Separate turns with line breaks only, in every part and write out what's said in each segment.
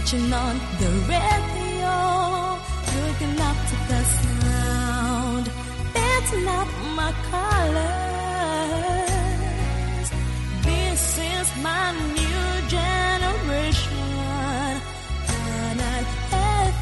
Switching on the radio, looking up to the sound. That's not my colors. This is my new generation. Canal FM.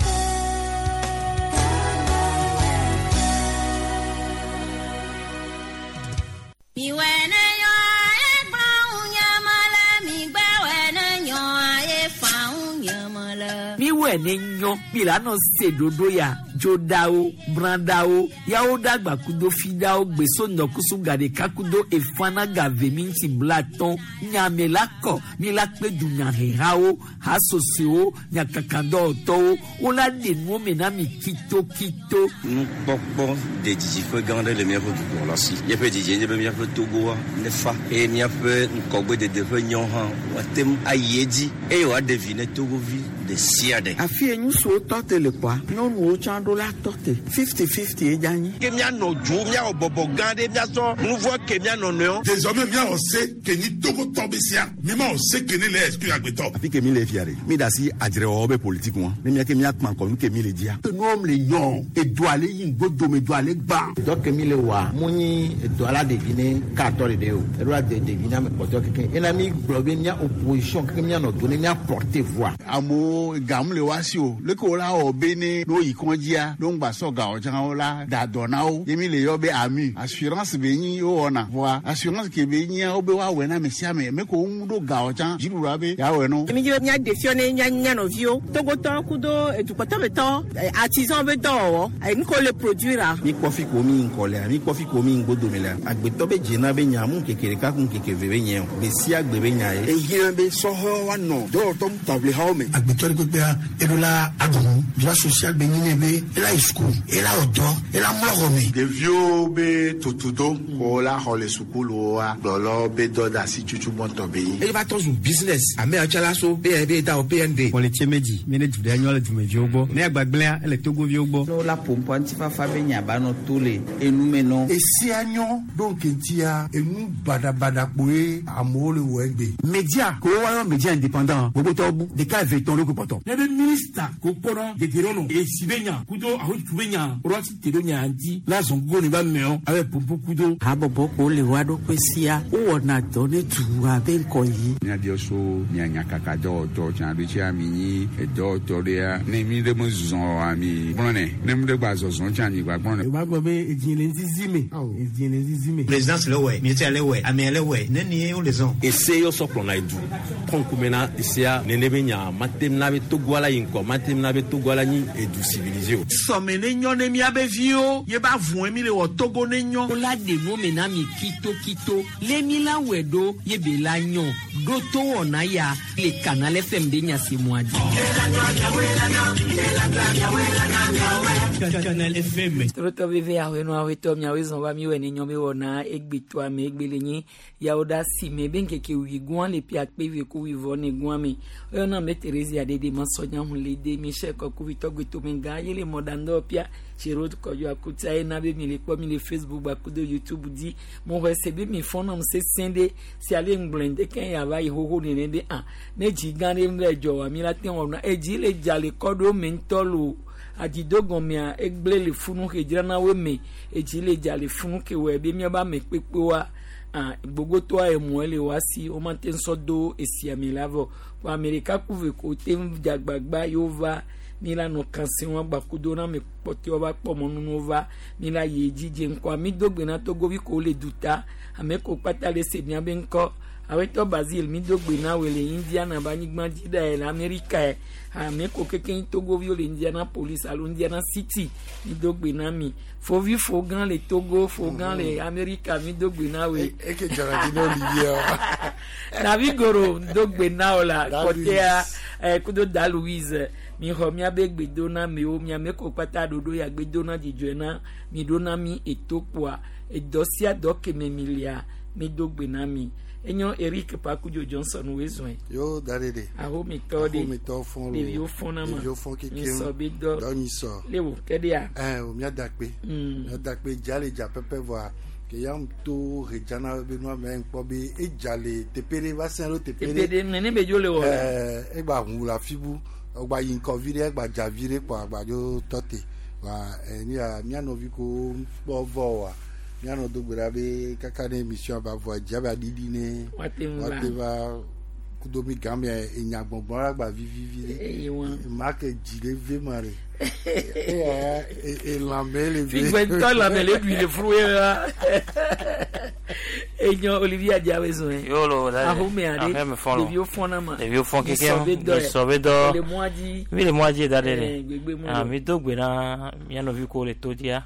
Miwɔe ne nyɔ mi la nɔ se ɖoɖo ya dzoɖawo bradawo yawo ɖagba kudo fiɖawo gbeso ŋdɔkusu gaɖeka kudo efana gave mi ŋuti blatɔn nyame la kɔ mi la kpe dunyahehawo hasosowo nyakakadɔwɔtɔwo wola ɖe nuwo me na mi kitokito.
Nukpɔkpɔ de didiƒe gã aɖe le míaƒe dukplɔla si. Míaƒe didie nye be míaƒe Togoa nefa eye míaƒe ŋgɔgbedede ƒe nyɔ hã woate ŋu ayi edzi eye wòaɖe vi ne Togovi ɖe sia ɖe.
Afi ye ŋutsuwo tɔ te le kpɔa, nyɔnuwo tsã ɖo la tɔ te. 50-50 ye dze anyi.
Ke míanɔ dzo, míawɔ bɔbɔ gã ɖe, míasɔ nu vɔ̃ ke mía nɔnɔewo.
Désormais míawɔ se ke nyi Togotɔ be sia, mímawɔ se ke ne le exclure agbetɔ.
Afi ke mi le fia ɖe, mi da asi adzrewɔwɔ be politiki ŋua, ne mía ke míakpã ŋkɔ nu ke mi le dzia.
Enuwo le nyɔ, edoa le yi ŋgodome, doa le gbã.
Dɔ ke mi le wɔa, mu nyi edoa la ɖevi ne katɔ ɖeɖe o, eɖo la de ɖevi na ame kpɔtɔe keke. Ena mi gblɔ be mía opposition keke míanɔ do ne mía porter voix.
Amewo gam le woa si o, leke wo la wɔ be ne ne woyi kɔdzia, ne woŋgba sɔ gawo tsã wo la da dɔ na wo. Ye mi le yɔ be AMU, assurance be nyi wowɔna. Vɔa assurance ke be nyia wo be woawɔe na ame sia ame. Me ko wo ŋu ɖo gawo tsã, dziɖuɖua be yeawɔe na wo.
Mi dzi be míaɖe fiɔ ne mía mía nɔviwo, Togotɔwo kudo edukpɔtɔmetɔ, artisan be dɔwɔwɔ, nu ke wole produire.
Mi kpɔ fi ko mi ŋkɔ lea, mi kpɔ fi ko mi ŋgodome lea. Agbetɔ be dzena be nya mu ŋkeke ɖeka ku ŋkeke eve be nye o. Gbe sia gbe be nya ye.
Ehiã be sɔhɛwo woanɔ dɔwɔtɔ taʋlihawo me.
Agbetɔ ɖe kpekpea, eɖo la aɖu droit social be nyi nɛ be ela yi suku, ela wɔ dɔ, ela mlɔ xɔ me.
Ɖeviwo be tutudo ko la xɔ le sukuluwoa, gblɔlɔ be dɔ de asi tutu gbɔntɔ be nyi.
Eye va trɔ zu business. Ame yawo tsã la so PNB da o PND.
Kpɔlitse medzi, mi ne du ɖe nyɔ le dumeviwo gbɔ. Ne agbagblẽa, ele Togoviwo gbɔ.
Ne wola ƒo ŋutifafa be nya ba nɔ to le enume nɔ.
Esia nyɔ ɖo ŋkeŋtia, enu baɖabaɖa kpoe amewo le wɔ egbe.
Media ko woayɔ media indépendant gbogbotɔwo bu ɖeka eve tɔn ɖokui kpɔtɔ.
Ne be minista ko kpɔnɔ dedienɔnɔ esi be nya kudo ahotutu be nya woɖo asi te ɖo nya ŋuti la zɔn gogo ne ba meɔ abe ƒoƒo kudo.
Habɔbɔ ko le woa ɖokui sia wowɔna dɔ ne dua be ŋkɔ yi.
Míabiɔ so mía nyakaka dɔwɔtɔ tsã ɖo tsia mi nyi edɔwɔtɔ ɖea ne mi ɖe me zɔ oa mi gblɔnɛ ne mi ɖe gba zɔzɔ tsã mi gba gblɔnɛ.
Yorùbá gbọ́ pé èjì lè ń zizi mi. Èjì lè ń zizi mi.
Présidence le wɛ, ministère le wɛ, amea le wɛ, ne ni wo le zɔn.
Ese yɔ sɔ kplɔna edu kɔnkume na esea nene be nya matem na be Togoa la yi ŋgɔ matem na be Togoa la nyi edu civilisé o.
Sɔme ne nyɔ ne míabe viwo ye ba vɔe mi le wɔ Togo ne nyɔ.
Wola ɖe nuwo me na mi kitokito le mi la wɔe ɖo ye be la nyɔ ɖo to wɔna ya le Canal FM ɖe nya si mua dzi.
Canal FM.
Trotɔ veve aƒenɔ aƒetɔ miawoe zɔn va miwɔe ne nyɔ be wɔna egbetoa me egbe le nyi yawo ɖe asi me be ŋkeke wui gɔa le ƒe akpe eve ku wui vɔ ne gɔa me. Eyɔna me Theresia ɖeɖe ma sɔnya hu le de Michel Kɔkuvitɔ gbetome gã ye le mɔɖaŋdɔ pia Chéro Kɔdzo Akutia ye na be mi le kpɔ mi le Facebook gbakudo YouTube dzi. Mo xɔe se be mi fɔnam sesẽ ɖe si ale ŋgblɔe ŋdeke ya va yi xoxo nene be ah ne dzi gã ɖe ŋlɔ dzɔ wa mi la te wɔna edzi le dza le kɔ ɖo me ŋutɔ lo. Adzido gɔmea egblẽ le funu ke dzrana wo me edzi le dza le funu ke wɔe be míabe ame kpekpewoa ah gbogbotɔa emɔe le woa si womate ŋu sɔ do esia me la vɔ kɔ ame ɖeka ku ve ko te ŋu dze agbagba yewo va mi la nɔ kanse wɔm gbakudo na ame kpɔtɔewo va kpɔ mɔnunuwo va mi la yi edzi dze ŋkɔa mi do gbe na Togovi ko le duta ame ko kpata le se miabe ŋkɔ awetɔ Basile mi do gbe na woe le Indiana be anyigba dzi ɖae le Amerika ye ame ko keke Togoviwo le Indianapolis alo Indiana City mi do gbe na mi fovi fo gã le Togo fo gã le Amerika mi do gbe na woe.
Eke dzɔna dzi na Olivier.
David Goro do gbe na wo la kɔtɛa kudo da Louise mi xɔ miabe gbe do na miwo miame ko kpata ɖoɖo ya gbe do na dzidzɔe na mi ɖo na mi etokpoa edɔ sia dɔ keme mi lia mi do gbe na mi. Enyo Eric Pakudzo Johnson woe zɔe.
Yo da ɖe ɖe.
Ahometɔ ɖe.
Ahometɔ fɔn lo.
Ɖeviwo fɔn na ma.
Ɖeviwo fɔn keke.
Nyisɔ be dɔ.
Dɔ nyisɔ.
Le wo ke ɖea.
Ɛ o mía da kpe. Mía da kpe dza le dza pɛpɛ vɔa ke ya to hedzana be nua me ŋkpɔ be edza le teƒe ɖe va sẽ ɖo teƒe ɖe.
Teƒe ɖe nene be dzo le wɔ.
Ɛɛ egba ʋu le afi bu. Ɔgba yi ŋkɔ vi ɖe, gba dza vi ɖe kpɔ agbadzo tɔ te. Wa enu ya mía nɔvi ko kpɔ vɔ wa. Mía nɔ do gbe ɖa be kaka ne émission va vɔ dza ba ɖiɖi ne.
Woate ŋu va.
Woate va kudo mi game enya gbɔngbɔn la gba vivivi ɖe.
Eye wa.
Ma ke dzi ɖe ve ma ɖe. Eya elãme le ve.
Figbɛntɔ lãme le ɖui le furu ye la. Enyo Olivier Adiawe zɔn ye.
Yolo, da.
Ahome aɖe.
Ahome fɔlɔ.
Ɖeviwo fɔna ma.
Ɖeviwo fɔn
Mi
keke.
sɔ be dɔ ye.
Mi sɔ be dɔ.
Le mɔa dzi.
Mi le mɔa dzi da ɖe
Eh,
ɖe.
gbegbe mu
Ah,
lo.
mi do gbe na mía nɔvi ko le to dzia.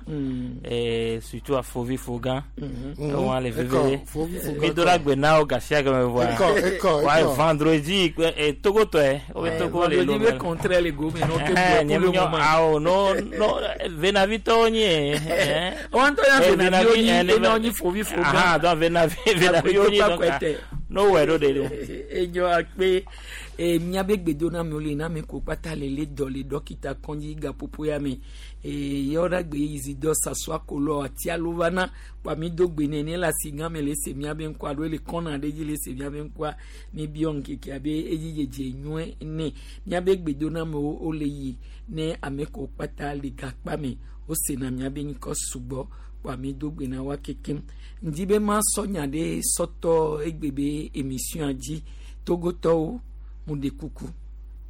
Eh, surtout afovi fogã. Ewɔn le veve.
Ekɔ, fovi fogã
Mi do la gbe na wo gasia game vɔa.
Ekɔ, ekɔ,
Wa
ekɔ.
vendredi eh, Togotɔe. Wo be Togo le
Vendredi
Lomé.
be contraire le go me no ke
Eh,
pour
nye
le
mi nyɔ
moment.
awo no no venavitɔwo nye. Eh.
Wɔn tɔ ya
Eh,
venaviwo nyi
eh,
ena nyi fovi fogã.
Aha, donc venavi venaviwo nyi donc. ah, No wɛ ɖo de ɖo.
Enyo akpe e miabe gbedoname le na me ko kpata le le dɔ le dɔkita kɔndzi gaƒoƒo ya me e yɔɖa gbe yizi dɔ sasua kolɔ atia lo va na kpa mi do gbe nene le asi gã me le se miabe ŋkɔa alo le kɔna ɖe dzi le se miabe ŋkɔa mi biɔ ŋkeke abe edzi dzedze nyuie ne miabe gbedonamewo wole yi ne ame ko kpata le gakpa me wosena miabe ŋkɔ sugbɔ kpa mi do gbe na wa kekem ŋdi be ma sɔ nya ɖe sɔtɔ egbe be émission dzi togotɔwo mu ɖe kuku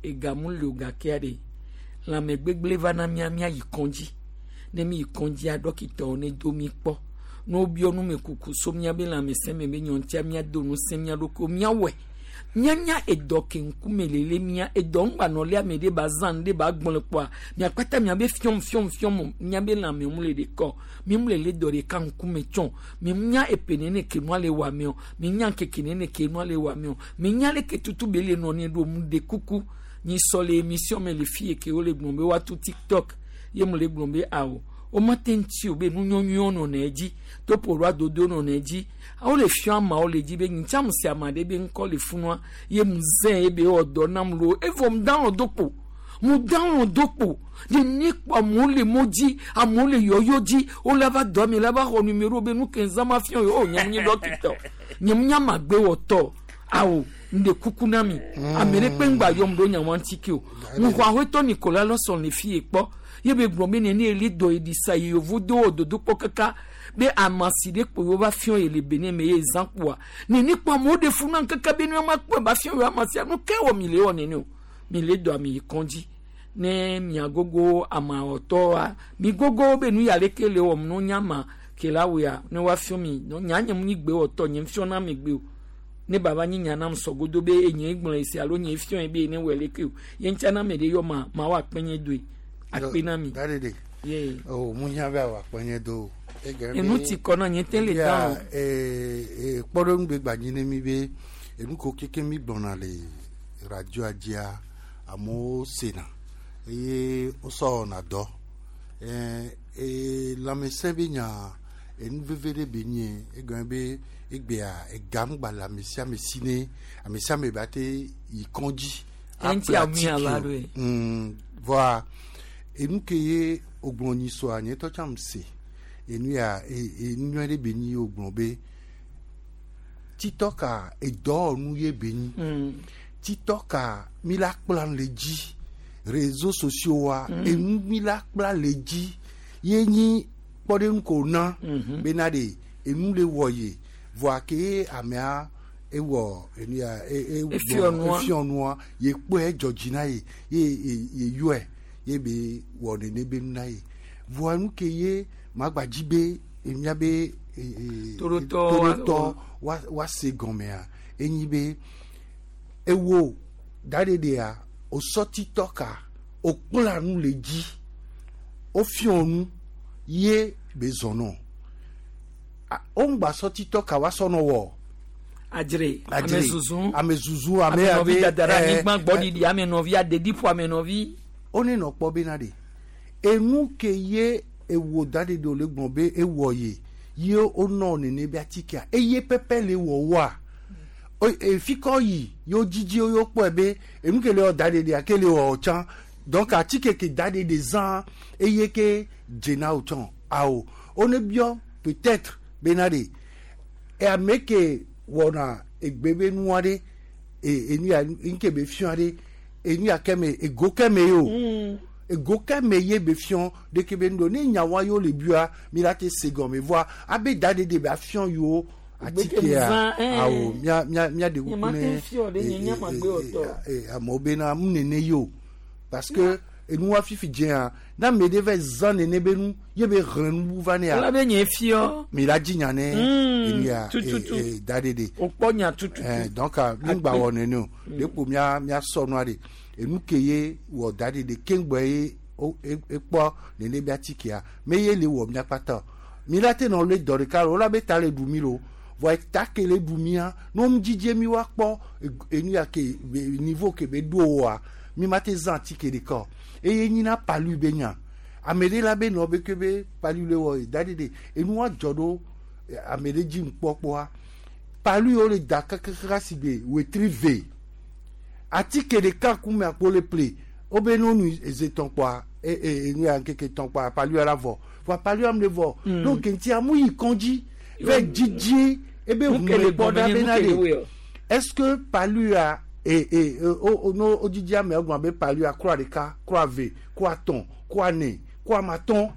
ega mu le o gakea ɖe lãme gbegblẽ va na mía míayi kɔndzi ne mi yi kɔndzia dɔkitawo ne do mi kpɔ ne wobiɔ nume kuku so míabe lãmesẽ me be nyɔntia míado ŋusẽ mía ɖokuiwo míawɔe míanya edɔ ke ŋkume lele mía edɔ ŋgbanɔ le ame ɖe ba zã nu ɖe ba gblɔ kpɔa miakpata miabe fiɔm fiɔm fiɔm míabe lãme mu le ɖe kɔ mi mu le le dɔ ɖeka ŋkume tsɔn mi nya epe nene ke nua le wɔ ameɔ mi nya keke nene ke nua le wɔ ameɔ mi nya le ke tutu be le nɔ ne ɖo mu ɖe kuku nyi sɔ le émission me le fie ke wole gblɔ be woatu tiktok ye mu le gblɔ be awo womate ŋuti o be nu nyɔnyɔwo nɔnɔ edzi topo ɖo adodo nɔnɔ edzi wole fiɔ ameawo le dzi be ŋutia mu se ame aɖe be ŋkɔ le funua ye mu zẽ ye be ewɔ dɔ nam lo evɔ mu download do kpo mu download do kpo ne ne kpɔ amewo le mo dzi amewo le yɔyɔ dzi wole va dɔ mi la va xɔ numéro be nu ke zã ma fiɔ ye o nye mu nye dɔkita o nye mu nye amagbewɔtɔ awo ŋɖe kuku na mi ame ɖe kpe ŋgba yɔm ɖo nyawa ŋuti ke o ŋuxɔ aƒetɔ Nicolas Lawson le fi ye kpɔ ye be gblɔ be nene eli dɔ yi ɖi sa yi yovo do wɔ dodokpɔ kaka be amasi ɖe kpo yewo va fiɔ yi le Benin me ye zã kpoa nene kpɔ amewo ɖe fu na kaka be ne ma kpɔe ba fiɔ yewo amasia nu ke wɔ mi le wɔ nene o mi le dɔ ami yi kɔndzi ne miagogo amawɔtɔa mi gogo be nu ya leke le wɔm no nyama ke la wea ne woafiɔ mi no nya nye mu nyi gbe wɔtɔ nye fiɔ na mi gbe o ne baba nyi nya nam sɔgodo be enye gblɔ esi alo nye fiɔ ye be ne wɔ leke o ye ŋutia na ame ɖe yɔ ma ma wa akpe nye doe akpe na mi.
Dadede.
Ye.
O mu hiã be awɔ akpe nye do o.
Enu ti kɔ na nye te le dan o.
Ee kpɔɖeŋu be gbadzi ne mi be enu ko keke mi gblɔna le radioa dzia amewo sena eye wosɔ wɔna dɔ. Ee lãmesẽ be nya enu veve ɖe be nye egɔme be egbea ega ŋgba le ame sia ame si ne ame sia ame ba te yi kɔndzi.
Eŋuti ami ava ɖo ye.
Vɔa enu ke ye wogblɔ nyi sɔa nye tɔ tsam se enu ya enu nyui ɖe be nyi wogblɔ be titɔ ka edɔwɔnu ye be nyi titɔ ka mi la kpla nu le dzi réseaux sociaux wa enu mi la kpla le dzi ye nyi kpɔɖeŋu ko na bena ɖe enu le wɔ ye vɔa ke ye amea ewɔ enu ya e e
Efiɔ nua.
efiɔ nua ye kpɔe dzɔ dzi na ye ye ye ye yɔe ye be wɔ nene be nu na ye vɔa nu ke ye magba dzi be emia be
Torotɔ
torotɔ wa wa se gɔmea enyi be ewo daɖeɖea osɔ titɔ ka okpla nu le dzi wofiɔ nu ye be zɔnɔ woŋgba sɔ titɔ ka wa sɔnɔ wɔ
adzre
Adzre.
ame zuzu
ame zuzu ame
ame nɔvi
abe,
dada ɖe anyigba gbɔɖiɖi ame nɔvi adeɖiƒo ame nɔvi.
wone nɔ kpɔ bena ɖe enu ke ye ewo da ɖe ɖo le gblɔ be ewɔ ye ye wonɔ nene be atikea eye pɛpɛ le wɔwɔa efi kɔ yi yewo dzidzi yewo kpɔe be enu ke le wɔ da ɖe ɖea ke le wɔ tsã donc atike ke da ɖe ɖe zã eye ke dzena wo tsã awo wone biɔ peut-être bena ɖe e ame ke wɔna egbe be nua ɖe e enu ya nke be fiɔ ɖe enu ya ke me ego ke me ye o ego ke me ye be fiɔ ɖeke be nu do ne nya wa yewo le bia mi la te se gɔme voa abe da ɖeɖe be afiɔ yewo atikea
zã, eh.
awo mia mia mia ɖe
Nye
kuku
ma te
ne
fiɔ ɖe, nye nya ma gbe wɔ tɔ.
amewo bena mu nene ye o parce que enua fifi dzea na ame ɖe va zã nene be nu ye be hlẽ nu bu va nea
Wala be nye fiɔ.
mi la dzi nya ne enu ya
tututu.
da ɖeɖe
Wokpɔ nya tututu.
Eh, donc mi gba wɔ nene o ɖekpo mia mia sɔ nua ɖe enu ke ye wɔ da ɖeɖe keŋgbɔ ye o- e- ekpɔ nene be atikea me ye le wɔ mia kpata o mi la te nɔ le dɔ ɖeka lo wola be ta le ɖu mi lo vɔ eta ke le ɖu mia ne wo dzidze mi wa kpɔ enu ya ke be niveau ke be ɖo oa mi ma te zã atike ɖeka o eye nyina palu be nya ame ɖe la be nɔ be ke be palu le wɔ da ɖeɖe enua dzɔ ɖo eh, ame ɖe dzi ŋkpɔkpɔa palu yiwo le da kakaka si gbe wetri ve atike ɖeka kume akpo le ple wobe no nu eze tɔn kpɔa e e enu ya ŋkeke tɔn kpɔa palu ya la vɔ vɔa palu ya me vɔ donc ŋuti amu yi kɔndzi vɛ dzidzi ebe
Nu ke le
hume kpɔ
gɔme
ɖa
nye, nu
bena
ke le
ɖe
woe o.
est ce que palu ya e e e, o o no o dzidzi ame egblɔ be palu ya kura ɖeka kura ve kura tɔn kura ne kura matɔn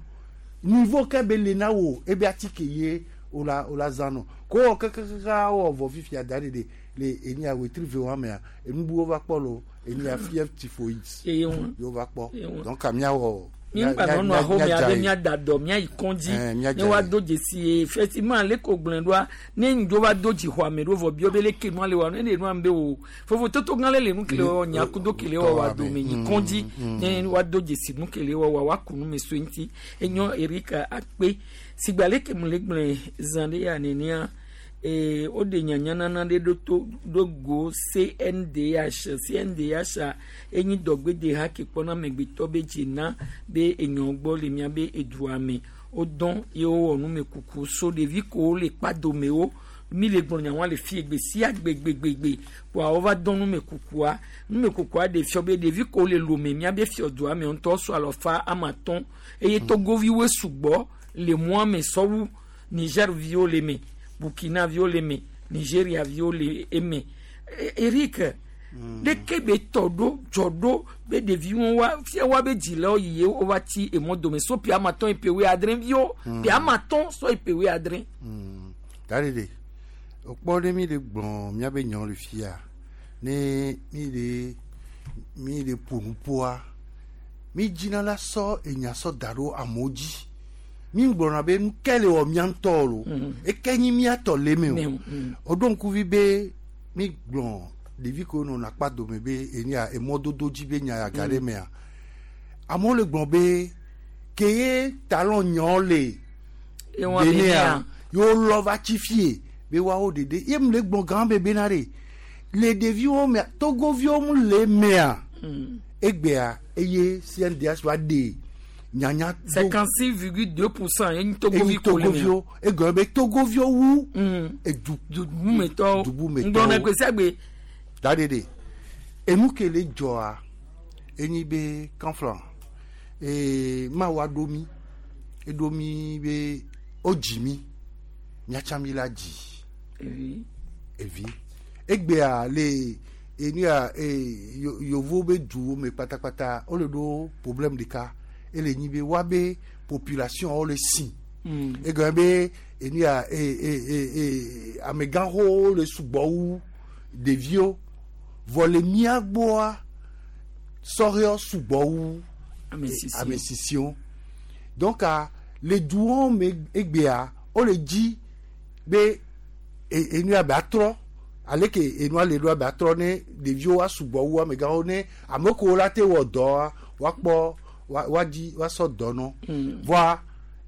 niveau ke be le na wo ebe atike ye o la o la zã nɔ ko wɔ kakakaka wɔ vɔ fifia da ɖeɖe le enu ya wetri ve wa mea enubuwo va kpɔ lo enu ya fièvre typhoïde
Eye ŋu.
yewo va kpɔ
Eye ŋu.
donc miawɔ
Mi ŋgba nɔ nɔ axome abe miada dɔ miayi kɔndzi
Eh,
ne
miadza
woado dzesi ye effectivement le ko gblẽ ɖoa ne ŋdzo va do dzi xɔ ame ɖo vɔ biɔ be leke nua le wa ne ɖe nua be o vovototo gã le le nu kele wɔ nya kudo kele wɔ wa dome yi kɔndzi ne woado dzesi nu kele wɔ wa woaku nu me so ŋuti enyɔ Erika akpe sigba leke mu le gblẽ zã ɖe ya nenea ee woɖe nyanyanana ɖe ɖo to ɖo go CNDH CNDH a enyi dɔgbedeha ke kpɔna amegbetɔ be dzena be enyɔ gbɔ le miabe edua me wodɔn ye wowɔ numekuku so ɖevi kowo le kpadomewo mi le gblɔ nyawoa le fie gbe sia gbegbegbe kpoa wova dɔn numekukua numekukua ɖe fiɔ be ɖevi kowo le lome miabe fiɔdua me ŋutɔ so alɔfa ama atɔ̃ eye togoviwoe sugbɔ le mɔa me sɔwu Niger viwo le me Burkina viwo le me Nigeria viwo le eme Eric ɖeke be tɔ ɖo dzɔ ɖo be ɖeviwo wa fia wa be dzilawo yi ye wova tsi emɔ dome so ƒe ama atɔ̃ yi ƒe wuiadre viwo ƒe ama atɔ̃ sɔ yi ƒe wuiadre.
Da ɖeɖe wokpɔ ɖe mi le gblɔ miabe nyawo le fia ne mi le mi le ƒo nu ƒoa mi dzina la sɔ enya sɔ da ɖo amewo dzi mi gblɔna be nu ke le wɔ mia ŋutɔ lo eke nyi mia tɔ le me o woɖo ŋkuvi be mi gblɔ ɖevi kewo nɔna kpa dome be enya emɔdodo dzi be nya ya ga ɖe mea amewo le gblɔ be ke ye talon nyawo le
Ewa
Benea
Benea.
yewo lɔ va tsi fie be woawo ɖeɖe ye mu le gblɔ gã be bena ɖe le ɖeviwo mea togoviwo mu le mea egbea eye CNDH va ɖe nyanya do-
56,2% ye nyi togovi
enyi
ko le mea.
togoviwo egɔme be togoviwo wu edu
dubumetɔwo
dubumetɔwo
ŋgblɔna gbe sia gbe
da ɖeɖe enu ke le dzɔa enyi be kanflan ee mawu aɖo mi eɖo mi be wodzi mi miatsa mi la dzi
Evi.
evi egbea le enu ya ee yovo be duwo me kpatakpata wole ɖo problème ɖeka ele nyi be woabe population wo le si egɔme be enu ya ee ee ee amegãxowo le sugbɔ wu ɖeviwo vɔ le mía gbɔa sɔhɛwo sugbɔ wu
Ame sisiwo.
ame sisiwo donc a le duwo me egbea wole dzi be enu ya be atrɔ ale ke enua le ɖoa be atrɔ ne ɖeviwo wa sugbɔ wu amegãwo ne ame kewo la te wɔ dɔa woakpɔ woadzi woasɔ dɔ nɔ vɔa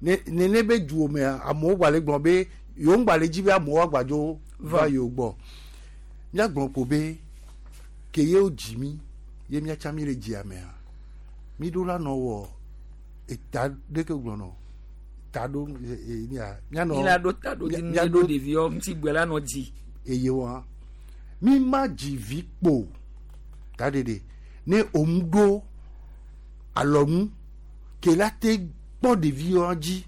ne nene be duwo mea amewo gba le gblɔ be yewo ŋgba le dzi be amewo agbadzo va yewo gbɔ míagblɔ ko be ke yewo dzi mi ye míatsa mi le dzia mea mi ɖo la nɔ wɔ eta ɖeke gblɔ nɔ ta ɖo e mia mianɔ
Mi la ɖo ta ɖo dzi nu ɖo ɖeviwo ŋuti gbe la nɔ dzi.
eye wa mi ma dzi vi kpo ta ɖeɖe ne òun ɖo alɔnu ke la te kpɔ ɖeviwo dzi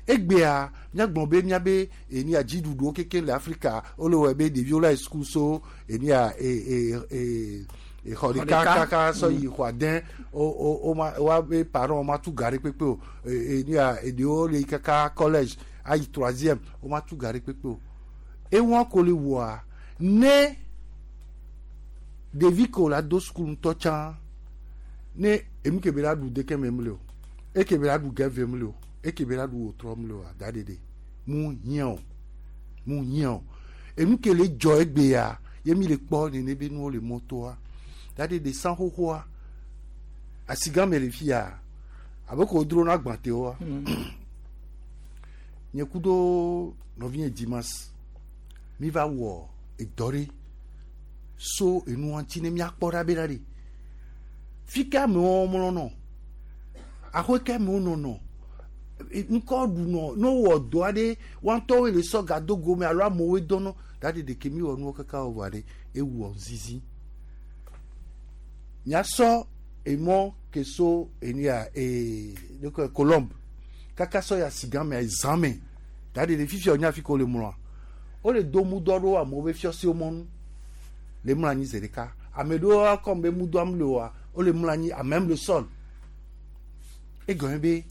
egbea míagblɔ be míabe enia dziɖuɖuwo keke le Afrika wole wɔe be ɖeviwo la yi suku so enia e e e Exɔ ɖeka kaka sɔ yi xɔ ade o o o ma wa be parents ma tu ga ɖe kpekpe o. E e ya eɖewo le yi kaka collège ayi troisième o ma tu ga ɖe kpekpe o. Ewa ko le wɔa ne ɖevi ko la do sukulu ŋutɔ tsã ne enu ke be la ɖu deke me mle o eke be la ɖu gɛve mle o eke be la ɖu wotrɔ mle o ada ɖeɖe mu hiã o mu hiã o enu ke le dzɔ egbea ye mi le kpɔ nene be nuwo le mɔtoa da ɖeɖe san xoxoa asigã me le fia abe ko wodro na gbãtewoa nye kudo nɔvinye Dimas mi va wɔ edɔ ɖe so enua ŋuti ne miakpɔ ɖa be ɖa ɖe fi ke amewo mlɔ nɔ axɔe ke amewo nɔnɔ ŋkɔ ɖunɔ ne wowɔ dɔ aɖe woa ŋutɔwoe le sɔ ga do gome alo amewoe dɔnɔ da ɖe ɖeke mi wɔ nuwo kaka wɔ vɔ ɖe ewɔ zizi miasɔ emɔ ke so enu ya ee ne Colombe kaka sɔ ya sigã mea zã me da ɖe fifia wonya fi ke wole mlɔa wole do mudɔ ɖo amewo be fiɔsiwo mɔnu le mlɔ anyi zi ɖeka ame ɖewo akɔm be mudɔam le oa wole mlɔ anyi amem le sol egɔme be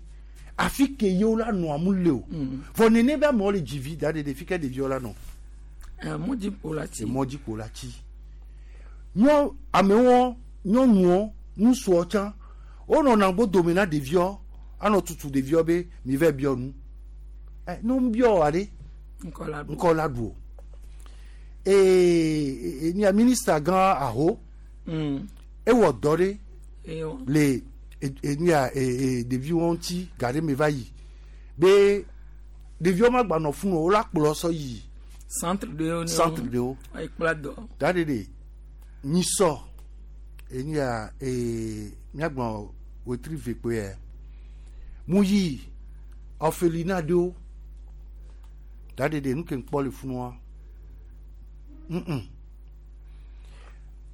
afi ke yewo la nɔ amu le o vɔ nene be amewo le dzivi da ɖe fi ke ɖeviwo la nɔ
mɔdzikpo la tsi
mɔdzikpo la tsi nyɔ amewo nyɔnuwo ŋutsuwo tsã wonɔna gbɔdome na ɖeviwo anɔ tutu ɖeviwo be mi vɛ biɔ nu ɛ ne wo biɔ wa ɖe
ŋkɔ
la ɖu o ee nia minista gã aho ewɔ dɔ ɖe le enia ɖeviwo ŋuti ga ɖe me va yi be ɖeviwo ma gba nɔ funu o wola kplɔ sɔ yi
centre ɖewo
centre ɖewo
ekpla dɔ
da ɖe ɖe nyisɔ enia ee miagblɔ wetri ve kpe yɛ mu yi orphelinat ɖewo da ɖe ɖe nu ke ŋkpɔ le funua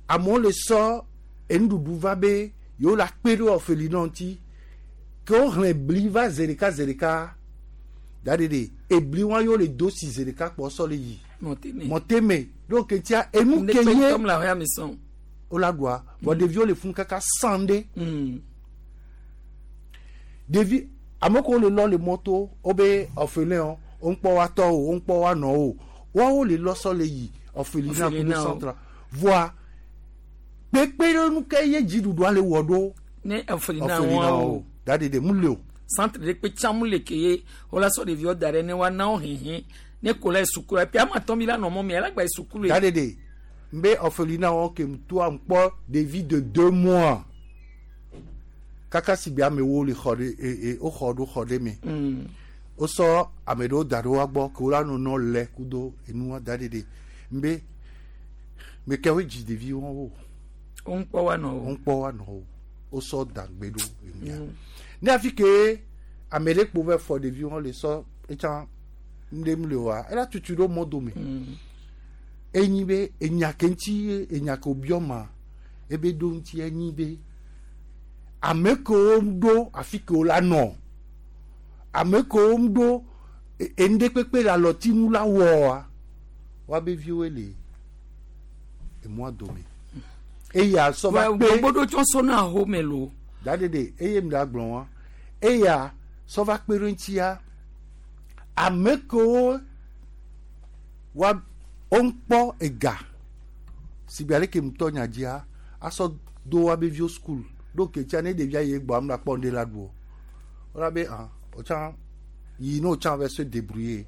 amewo le sɔ enuɖuɖu va be yewo la kpe ɖe orphelinat ŋuti ke wohlẽ bli va zi ɖeka zi ɖeka da ɖe ɖe ebli wa yewo le do si zi ɖeka kpɔ sɔ le yi mɔteme ɖo ke tia enu ke ye wola ɖua vɔ ɖeviwo le funu kaka san ɖe ɖevi ame kewo le lɔ le mɔto wobe orphelin wo ŋkpɔ wa tɔ o wo ŋkpɔ wa nɔ o woawo le lɔ sɔ le yi orphelinat kudo centre voa kpekpe ke ye dziɖuɖua le wɔ ɖo
ne orphelinat o
da ɖe ɖe mu le o
centre ɖe kpe tsã mu le ke ye wola sɔ ɖeviwo da ɖe ne woana wo hehe ne ko la sukulu epi ame atɔ mi la nɔ mɔ mi ala gba sukulu
da ɖe ɖe nbe orphelinat wɔn ke toa ŋkpɔ ɖevi de 2 mois kaka si gbe amewo le xɔ ɖe e woxɔ ɖo xɔ ɖe me wosɔ ame ɖewo da ɖe woa gbɔ ke wola nɔ lɛ kudo enua da ɖe ɖe nbe me ke woe dzi ɖevi wɔn o
wo ŋkpɔ wa nɔ
o ŋkpɔ wa nɔ o wosɔ dagbe ɖo enua ne afi ke ame ɖe kpo vɛ fɔ ɖevi wɔn le sɔ etsã ŋɖe mu le oa ela tutu ɖo mɔ dome enyi be enya ke ŋuti enya ke wobiɔ ma ebe ɖo ŋuti enyi be ame kewo ɖo afi ke wo la nɔ ame kewo ɖo enu kpekpe le alɔtinu la wɔa woabe viwoe le emɔa dome eya sɔ va kpe
gbogbo ɖo tsɔ sɔ na home lo
da ɖeɖe eye mi la gblɔ wa eya sɔ va kpe ɖe ŋutia ame kewo wa woŋkpɔ ega si gbe aleke ŋutɔ nya dzia asɔ do woabe viwo school ɖo ke tia ne ɖevia yi egbɔ ame la kpɔ ŋɖe la ɖu o wola be ah wotsã yi ne wotsã va se débrouiller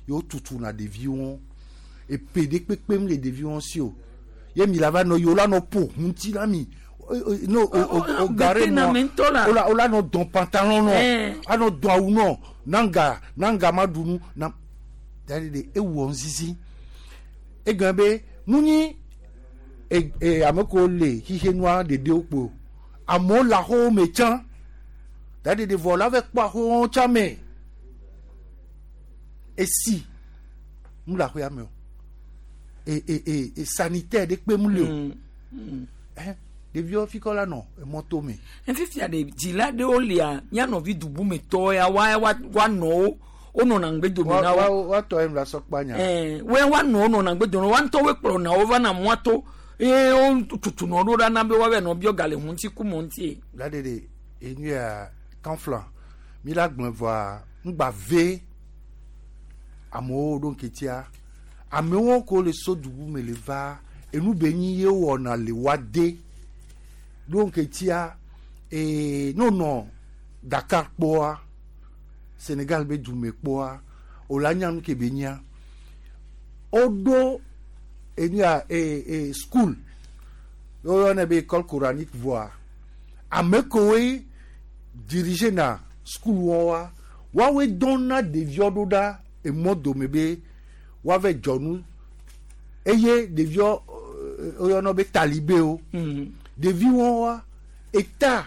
ye wotutu na ɖeviwo epe ɖe kpekpem le ɖeviwo si o ye mi la va nɔ yi wola nɔ ƒo ŋuti la mi no o gare
mɔ
wola wola nɔ dɔn pantalon nɔ anɔ dɔn awu nɔ nanga nanga ma ɖu nu na da ɖe ewɔ ŋzizi egɔme be munyi e e ame kewo le xixenua ɖeɖewo kpo amewo le axɔwo me tsã da ɖeɖe vɔ la va kpɔ axɔwo tsã me esi mu le axɔa me o e e e e sanitaire ɖe kpe mu le o ɛ ɖeviwo fi kɔ la nɔ emɔto me.
Fifia ɖe dzila ɖewo lia mía nɔvi dubumetɔ ya wa wa wa nɔ wo wonɔna ŋgbe dome na wo.
Woatɔ yɛ la sɔ kpa nya.
Ɛɛ wo wa nɔ wo nɔna ŋgbe dome wa ŋutɔ wo kplɔna wo va na mɔa to. Eye wo tutu nɔ ɖo ɖa na be woava nɔ biɔ ga le ŋuti ku mɔ ŋuti.
La de de enu ya kanflan mi la gblɔ vɔa ŋgba ve amewo ɖo ŋketia amewo ko le so dubu me le va enu be nyi ye wɔna le wa de ɖo ŋketia ee n'o nɔ Dakar kpɔa Senegal be dume kpɔa o la nya nu ke be nyia woɖo enu ya ee school woyɔnɛ be école coranique voa ame kowoe dirige na school wɔa woawoe dɔn na ɖeviwo ɖo ɖa emɔ dome be woava dzɔ nu eye ɖeviwo woyɔna be talibewo ɖeviwo wa eta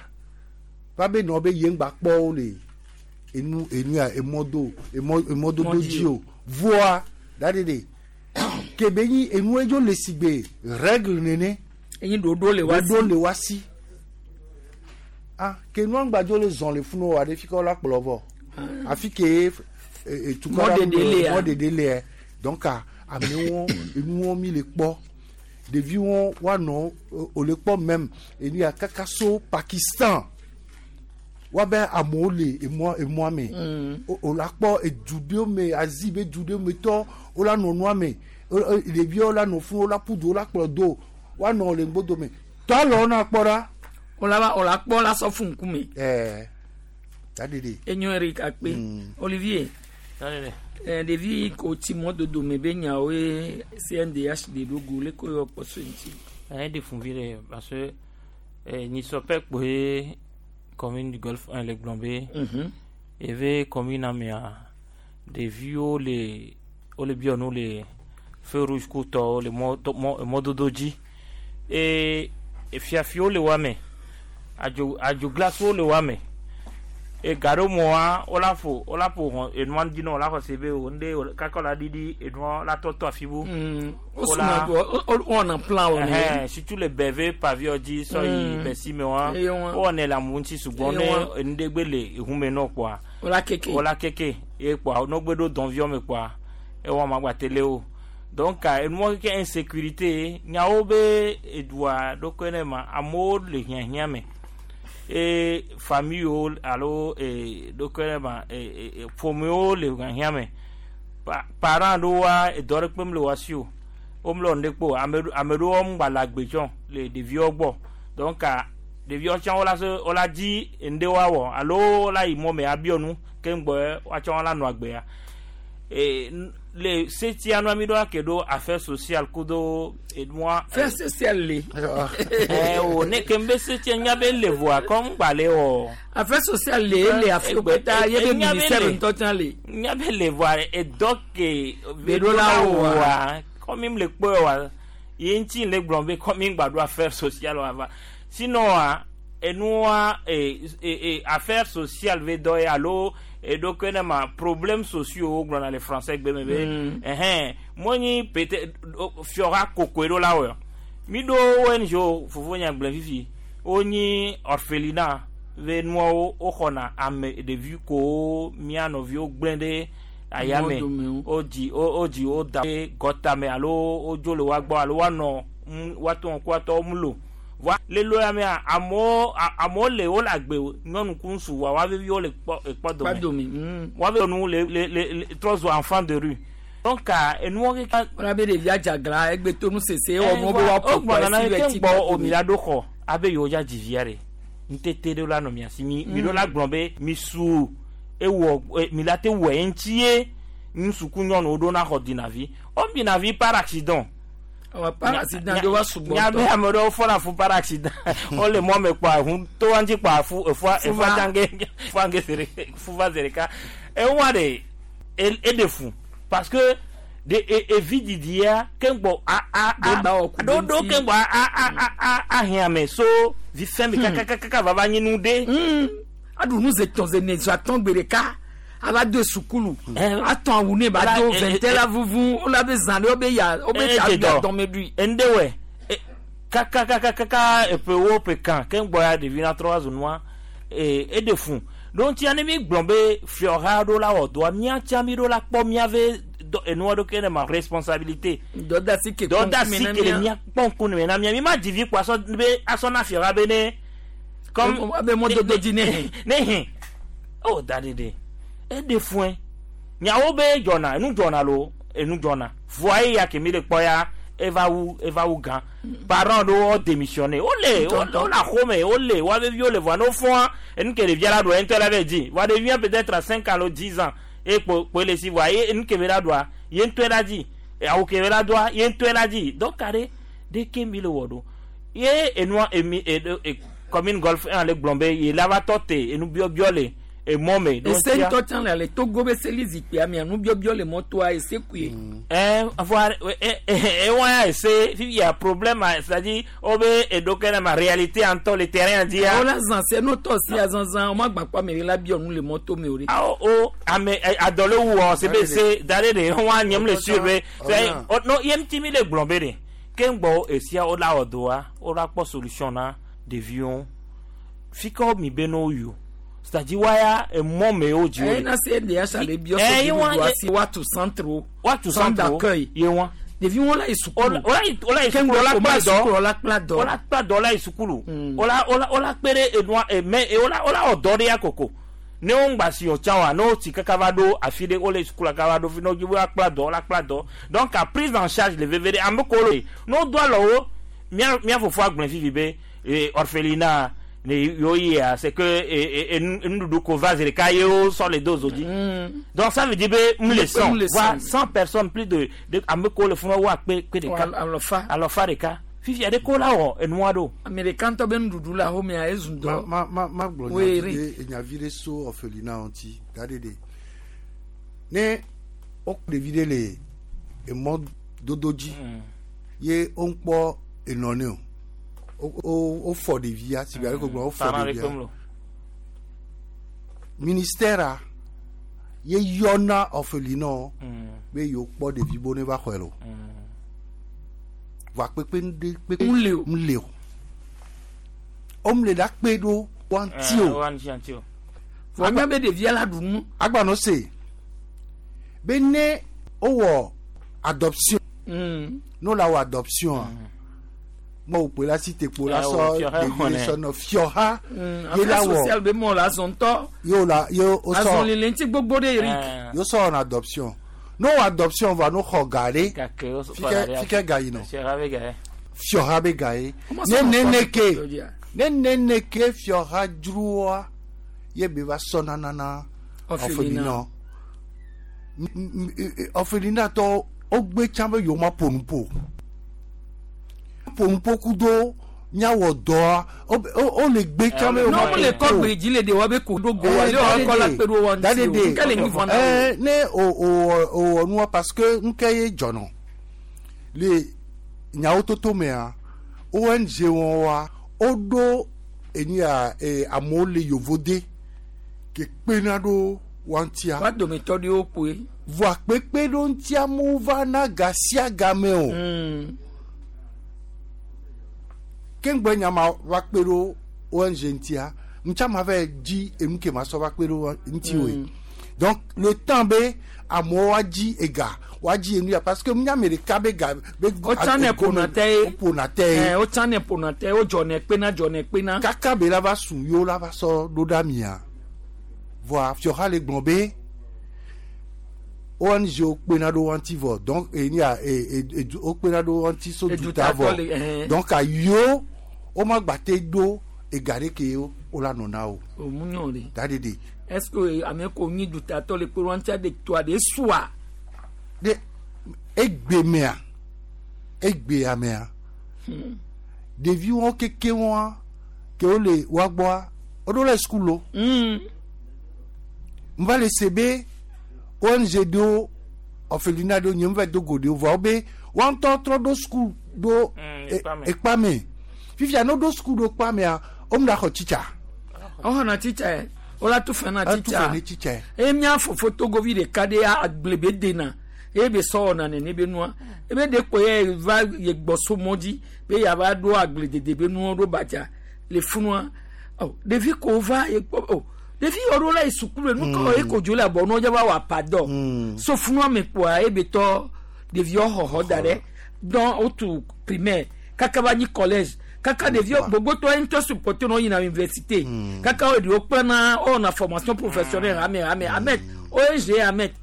va be nɔ be ye ŋgba kpɔ wo le enu enu ya emɔdo emɔ emɔdodo dzi o voa da de de ke be nyi enu edzo le si gbe règle nene.
Enyi ɖoɖo le wa si.
Ɖoɖo le wa si. Ah ke nua ŋgba le zɔn le funu wa ɖe fi ke la kplɔ vɔ. Afi ke etukɔ mɔɖeɖe le donc amewo enuwo mi le kpɔ ɖeviwo woanɔ o le kpɔ même enu ya kaka so Pakistan woabe amewo le emɔ emɔa me o la kpɔ edu ɖewo me Asie be du ɖewo me tɔ wo la nɔ nua me ɖeviwo la nɔ funu wo la ƒu du wo la kplɔ do woanɔ le ŋgbodo me tɔ alɔ na kpɔ ɖa.
O la o la kpɔ la sɔ fún ŋkume.
Ɛɛ daɖeɖe.
Enyo Eric akpe Olivier. Ɖevi ko tsi mɔdodo me be nyawoe CNDH de ɖo go le ko yɔ kpɔ so ŋuti.
Ɛyɛ de fun vi ɖe parce que nyisɔpɛ kpoe commune du Golfe 1 le gblɔ be eve commune amea ɖeviwo le wole biɔ nu le feu rouge kutɔwo le mɔdodo dzi eye fiafiwo le wa me adzo adzoglasowo le wa me e gaɖo mɔa wola ƒo wola ƒo hɔn enua dzi na wola xɔ se be o ŋɖe kaka la ɖiɖi enua la tɔtɔ afi bu.
Wosuna wɔna plan wɔ
ne. Surtout le bɛve paviɔ dzi sɔ yi bɛsi me wa wowɔnɛ le amewo ŋuti sugbɔ ne enuɖe gbe le ehume nɔ kpoa.
Wola keke.
Wola keke ye kpoa ne gbe ɖo dɔnviɔ me kpoa ewɔ ma gba tele o donc enuɔ keke insécurité nyawo be edua ɖokue ne ma amewo le hiahiã me. E famille alo e ɖokue ma e ƒomewo le hiahiã me parents ɖewo wa edɔ ɖe kpem le wa si o womlɔ nu ɖe kpo ame ɖewo ŋgba le agbe tsɔ le ɖeviwo gbɔ donc ɖeviwo tsã wola se wola dzi ŋɖe woawɔ alo wola yi mɔ me abiɔ nu ke ŋgbɔ woatsɔ wola nɔ agbea e le setia nua mi ɖo ake ɖo affaire sociale kudo enua.
Affaire sociale le.
Ɛ o ne ke n bɛ setia nya be le voa kɔm gba le wɔ.
Affaire sociale le le afi kpeta ye be ministère ŋutɔ tsã le.
Nya be le voa edɔ ke.
Ɖo la
wɔa kɔmi le kpɔe wa ye ŋuti le gblɔ be kɔmi gba ɖo affaire sociale wa va sinon wa enua affaire sociale ve dɔ ye alo eɖokue ne ma problème sociaux wo gblɔna le français gbe me be ɛhɛn mo nyi peut-être fiɔha kokoe ɖo la wɔ mi ɖo ONG fofo nya gblẽ fifi wonyi orphelinat ve nuawo woxɔna ame ɖevi kowo mía nɔviwo gblẽ ɖe ayame wodzi wodzi wo da ɖe gɔtame alo wodzo le woa gbɔ alo woanɔ woatɔ ŋku woatɔ mlo voa le lo ya mea amewo amewo le wole agbe nyɔnu ku ŋutsu wa woa vevi wole kpɔ ekpɔ dome woa ve nu le le le trɔ zu enfant de rue donc enuwo keka.
Wọ́n bɛ ɖevi adzagla egbe to nu sese wɔ mɔ be woaƒo
kpɔ esi bɛ ti kpɔ o mi la ɖo xɔ abe yewo dza dzi via ɖe ŋutete ɖe la nɔ mia si mi mi ɖo la gblɔ be mi su ewɔ mi la te wɔ eŋuti ye ŋutsu ku nyɔnuwo ɖo na xɔ dina vi wo dina vi par accident.
Par accident do wa sugbɔ.
Nyabe ame ɖewo fɔna fu par accident wole mɔ me kpɔa ʋu to wa ŋuti kpɔa fu efua efua dzange efua ŋge zere fuva ze ɖeka ewa ɖe eɖe fu parce que de evi didi ya ke ŋgbɔ a a a ɖoɖo ke ŋgbɔ a a a a a hiã me so vi fɛn mi kakakaka va va nyi nu ɖe.
Aɖu nu ze tɔn ze ne zo atɔn gbe ɖeka ava do sukulu atɔn awu ne ba do vɛntɛ la vuvu wola be zã ɖe wobe ya wobe ta dɔme ɖui.
Ŋɖe wɛ kakakakaka eƒewo ƒe kan ke ŋgbɔ ya ɖevi na trɔ va zu nua eɖe fun ɖo ŋutia ne mi gblɔ be fiɔha ɖo la wɔ dɔa míatsa mi ɖo la kpɔ míave dɔ enua ɖo ke ne ma responsabilité.
Dɔdasi ke
dɔdasi ke le mia kpɔ ŋkume na mia mi ma dzi vi kpo asɔ be asɔ na fiɔha be ne.
Comme abe mɔdodo dzi ne hɛn.
Ne hɛn o da ɖeɖe eɖe fue nyawo be dzɔna enu dzɔna lo enu dzɔna voa eya ke mi le kpɔ ya eva wu eva wu gã parents ɖewo wo démissionné wole wole axome wole woa vevi wole voa ne wofɔa enu ke ɖevia la ɖua ye ŋutɔ la va dzi voa ɖevia peut-être à 5 ans alo 10 ans eye kpo kpo ele si voa ye enu ke be la ɖua ye ŋutɔe la dzi awu ke be la doa ye ŋutɔe la dzi donc ɖe ɖeke mi le wɔ ɖo ye enua emi e e commune golf 1 le gblɔ be ye la va tɔ te enu biɔbiɔ le emɔ me.
Ese ŋutɔ tsã le ale Togo be seli zikpuia mea nubiɔbiɔ le mɔtoa ese koe.
Ɛ voa ewa ya ese fifia problème c'est à dire wo be eɖo ke na ma réalité ŋutɔ le terrain dzia.
Wola zã se no tɔ sia zãzã wo ma gba kpɔ ame ɖe la biɔ nu le mɔto me o ɖe.
Awo o ame adɔ le wɔ se be se da ɖe ɖe wa nye le sûr be no ye ŋuti mi le gblɔ be ɖe ke ŋgbɔ esia wo la wɔ doa wo la kpɔ solution na ɖeviwo fi ke mi be no yi o. C'est-à-dire waya emɔ me wo dzi wo
le. Na se ɖe asa le biɔ se ɖevi asi woatu centre wo.
Woatu centre
d'accueil.
Ye wa.
Ɖevi wo la yi sukulu.
Wola yi wola yi sukulu wola kpla dɔ.
Wola kpla dɔ.
Wola kpla dɔ la yi sukulu. Wola wola wola kpe ɖe enua eme wola wola wɔ dɔ ɖe ya koko. Ne wo ŋgba si o tsã wa ne wo tsi kaka va ɖo afi ɖe wole sukulu kaka va ɖo fi ne wo dzi be woakpla dɔ wola kpla dɔ. Donc a prise en charge le veve ɖe ame kewo le ne wo do alɔ wo mía mía fofoa gblɔe fifi be orphelinat ne yo yia c'est que nuɖuɖu ko va zi ɖeka ye wo sɔ le do zo dzi. Donc ça veut dire be mu le 100 voire 100 personnes plus de ame kewo le funu wo akpe kpe ɖeka
alɔfa
alɔfa ɖeka fifia ɖe ko la wɔ enua ɖo.
Ame ɖeka ŋutɔ be nuɖuɖu le axomea ezu dɔ.
Ma ma ma gblɔ nyavi ɖe nyavi ɖe so orphelinat ŋuti da ɖe ɖe ne wokpɔ ɖevi ɖe le emɔ dodo dzi ye wokpɔ enɔ ne o. O fɔ ɖevia si be ale ko gblɔ o fɔ ɖevia ministère ye yɔna orphelinat be yewo kpɔ ɖevi bo ne va xɔe lo voa kpekpe ŋɖe kpekpe ŋle o omle ɖa kpe ɖo wa ŋuti o
voa nya be ɖevia la ɖu nu
agbanɔ se be ne wowɔ adoption ne wola wɔ adoption mo wò la si te kpo la sɔ ɖevi sɔ nɔ fiɔha
ye la wɔ social be mɔ la zɔn tɔ
ye la ye o sɔ
azɔn lele ŋuti gbogbo ɖe Eric
ye sɔ wɔna adoption no wɔ adoption va no xɔ ga ɖe fike ga yi nɔ fiɔha be ga ye ne neneke ne neneke fiɔha dzroa ye be va sɔ nanana orphelinat orphelinat tɔ wogbe tsã be yewo ma ƒo nu ƒo. Ƒonuƒo do miawɔ dɔa o le gbe tsã be.
Ne le kɔ gbe dzi le de wa be ko ɖo go wa le wa kɔ la kpe ɖo wa ŋuti o nke le nyi vɔn na
o. Ne o o wɔ nua parce que nke ye dzɔnɔ le nyawo toto mea ONG wɔn wa o ɖo enia amewo le yovode ke kpena ɖo wa ŋutia.
Wa dometɔ ɖewo kpoe.
Voa kpekpe ɖo ŋutia mu va na ga sia game o. Ke nyama va kpe ɖo ONG ŋutia ŋutsa ma va dzi enu ke ma sɔ va kpe ɖo ŋuti o. Donc le temps be amewo wa dzi ega wa dzi enu ya parce que nya ame ɖeka be ga be.
O tsã ne ƒona tɛ ye.
O ƒona tɛ ye.
O tsã ne ƒona tɛ o dzɔ ne kpena dzɔ ne kpena.
Kaka be la va su yewo la va sɔ ɖo ɖa mia voa fiɔha le gblɔ be ONG wo kpena ɖo ŋuti vɔ donc enia wo kpena ɖo ŋuti so duta vɔ donc ayo o ma gba te ɖo ega ɖe ke o la nɔ na o.
O mu nyɔ de.
Da de de.
Est-ce que ame ko nyi dutatɔ le kpe ɖo ŋutia de toa de sua.
De egbe mea egbea mea ɖeviwo keke wɔa ke wo le woa gbɔa wo ɖo le sukulu o. N va le se be ONG ɖewo orphelinat ɖewo nye n va do go ɖewo vɔa wo be woa ŋutɔ trɔ ɖo sukulu ɖo ekpa me. Fifia ne ɖo sukulu ɖo kpa mea wo mu ɖa xɔ tsitsa.
Wo xɔna tsitsa yɛ wola tu fɛn na tsitsa
tsitsa.
Eye mía fofo togovi ɖeka ɖe agble be dena eye be sɔ wɔna nene be nua ebe ɖe kpo ye va ye gbɔ so mɔ dzi be yava ɖo agble dede be nuwo ɖo badza le funua ɔ ɖevi ko va ye kpɔ o Ɖevi yɔ ɖo la yi sukulu nu kɔ eko dzo le abɔ nɔ dza va wɔ apadɔ. So funu ame kpoa ebe tɔ ɖeviwo xɔxɔ da ɖe dɔn wotu primaire kaka va nyi collège kaka ɖeviwo gbogbotɔ ye ŋutɔ supporter nɔ yina université kaka wo ɖewo kplana wɔna formation professionnelle hame hame amet ONG amet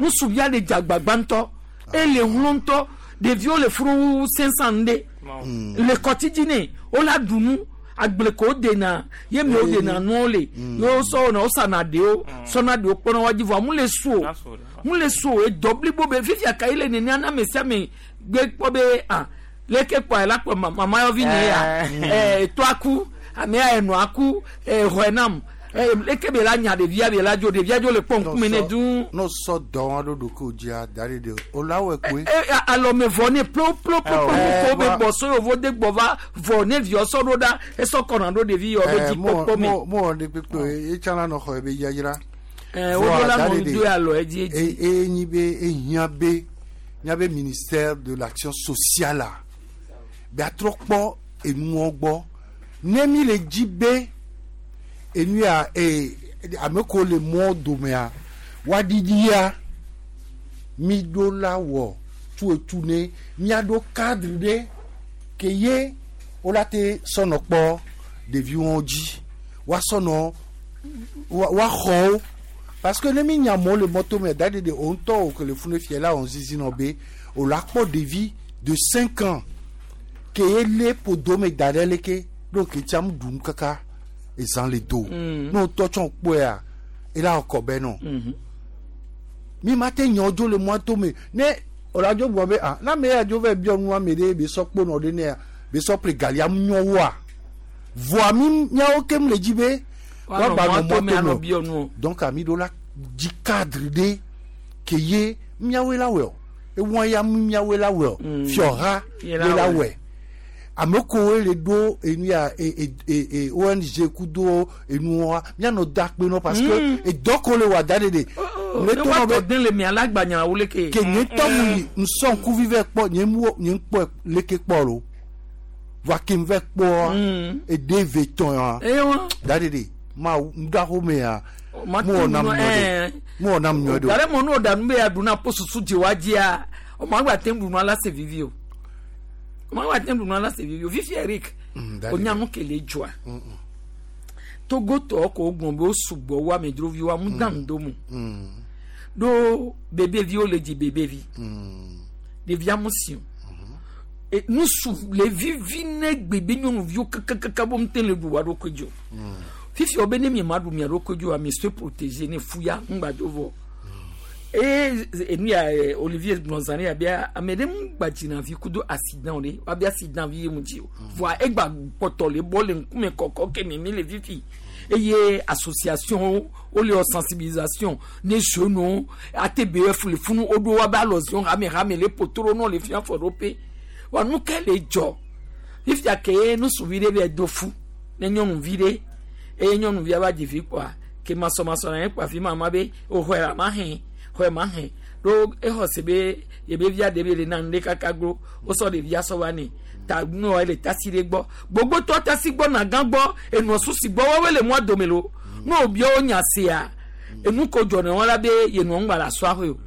nusuvia le dzagbagba ŋutɔ ele hlɔ ŋutɔ ɖeviwo le funu 500 ɖe le kɔtidzi ne wola ɖu nu agble ko dena ye mi wo dena nuwo le ye wo sɔ wɔna wo sana ɖewo sɔna ɖewo kpɔna wa dzi vɔ amu le su o mu le su o edɔ blibo be fifia ka yi le nenia na ame sia ame gbe kpɔ be ah leke kpɔ la kpɔ mama yɔvi ne ya etɔ aku amea enɔ aku xɔe nam leke be la nya ɖevia be la dzo ɖevia dzo le kpɔ ŋkume ne duu.
N'o sɔ dɔ wa ɖo ɖokuiwò dzia da ɖi ɖe o la wɔe koe.
Alɔme vɔ ne plo plo plo plo ko be gbɔ so yovo de gbɔ va vɔ ne viɔ sɔ ɖo ɖa esɔ kɔna ɖo ɖevi yɔ be dzi kpɔkpɔ me.
Mo wɔ ɖe kpekpe etsã la nɔ xɔ be yayra.
Wo ɖo la nɔ do alɔ edzi edzi.
Eye nyi be ehiã be míabe ministère de l'action sociale be atrɔ kpɔ enuwo gbɔ ne mi le dzi be enu ya ame ko le mɔ domea woaɖiɖia mi ɖo la wɔ tuetu ne miaɖo cadre ɖe ke ye wola te sɔnɔ kpɔ ɖeviwo dzi woasɔnɔ woaxɔ wo parce que ne mi nya amewo le mɔto me da ɖeɖe o ŋutɔ o ke le funu fia la wɔn zizi nɔ be o la kpɔ ɖevi de 5 ans ke ye lé ƒodo me da ɖe leke ɖo ke tsa mu ɖu nu kaka ezã le do ne o tɔ tsɔ kpɔea ela kɔ bɛ nɔ mi ma te nyɔ dzo le mɔto me ne o la dzo gblɔ be ah na me ya dzo vɛ biɔ nua me ɖe be sɔ kponɔ ɖe nea be sɔ ƒle galia mu nyɔ woa voa mi miawo kem le dzi be woagba nɔ mɔto me o donc ami ɖo la dzi cadre ɖe ke ye miawoe la wɔe o ewɔn ya mu miawoe la wɔe o fiɔha ye la wɔe ame kowoe le ɖo enu ya ONG kudo enuwoa mianɔ da kpe nɔ parce que edɔ ko le wɔ da ɖe ɖe
ne tɔ be den le mia la gbanya wo leke
ke nye tɔ mu yi nsɔn kuvi vɛ kpɔ nye mu nye kpɔ leke kpɔ lo voa ke vɛ kpɔa ede ve tɔn ya da ɖe ɖe ma ŋɖaxo mea mu wɔ nam nyɔ ɖe mu wɔ nam nyɔ ɖe o.
Gare mɔ n'o da nu be ya duna po susu dzi wa dzia ɔmɔ agba te ŋu ɖunu ala se vivi o ɔmɔ agba te ŋu ɖunu ala se vivi o fifi Eric o nya nu kele dzɔa Togotɔ ko gblɔ be wo sugbɔ wo amedzroviwo amu dan do mu ɖo bebeviwo le dzi bebevi ɖevia mu si o nusu le vivi ne gbebe nyɔnuviwo kakakaka bo ŋute le ɖu wa ɖokui dzi o fifi wo be ne mi ma ɖu mia ɖokui dzi o mi se protéger ne fuya ŋgba dzo vɔ eye enu ya Olivier gblɔ zã ɖe abia ame ɖe ŋu gba dzina vi kudo accident ɖe wabi accident vi ye mu dzi o voa egba kpɔtɔ le bɔ le ŋkume kɔkɔ ke mi mi le fifi eye association wo le wɔ sensibilisation ne jeunes ATBF le funu woɖo wabe alɔzion hame hame le potoro nɔ le fia fɔ ɖo pe wa nu ke le dzɔ fifia ke ye nusuvi ɖe be do fu ne nyɔnuvi ɖe eye nyɔnuvia va dzi vi kpɔa ke masɔmasɔ na ye kpɔ afi ma ma be o xɔe ma hɛn xɔe ma hɛn ɖo exɔ se be yebe via ɖe be le na nu ɖe kaka glo wosɔ ɖevia sɔ va nɛ ta nua le tasi ɖe gbɔ gbogbotɔ tasi gbɔ nagã gbɔ enɔ susi gbɔ wɔwoe le mɔa dome lo ne wòbiɔ wo nya sea enu ko dzɔ ne wɔn la be yenɔ ŋgba le asɔ ahoe o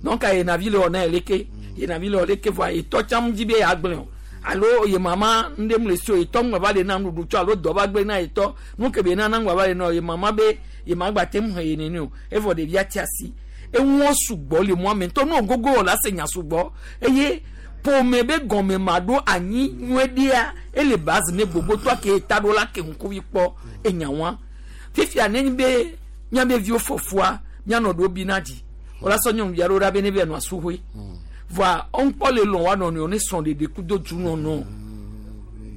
donc yenavi le wɔ na ye leke yenavi le wɔ leke voa yetɔ tsam dzi be yeagblẽ o alo ye mama ŋɖe mu le si o yetɔ ŋgba va le na nuɖuɖu tsɔ alo dɔ va gblẽ na yetɔ nu ke be nana ŋgba va le na ye mama be ye ma gba te ŋu he ye nene o evɔ ɖevia ti asi eŋuɔ sugbɔ le mɔa me ŋutɔ ne gogo wɔ la se nya sugbɔ eye ƒome be gɔme ma ɖo anyi nyuie ɖea ele base ne gbogbotɔ ke ta ɖo la ke ŋkuvi kpɔ enya wa fifia ne be míabe viwo fɔfua míanɔ ɖo bi na dzi wòla sɔ nyɔnuvi aɖewo ɖa be ne be nɔ asuhoe voa ɔnkpɔ le lɔn wa nɔnɔewo ne srɔ̃ ɖeɖe kudo du nɔnɔ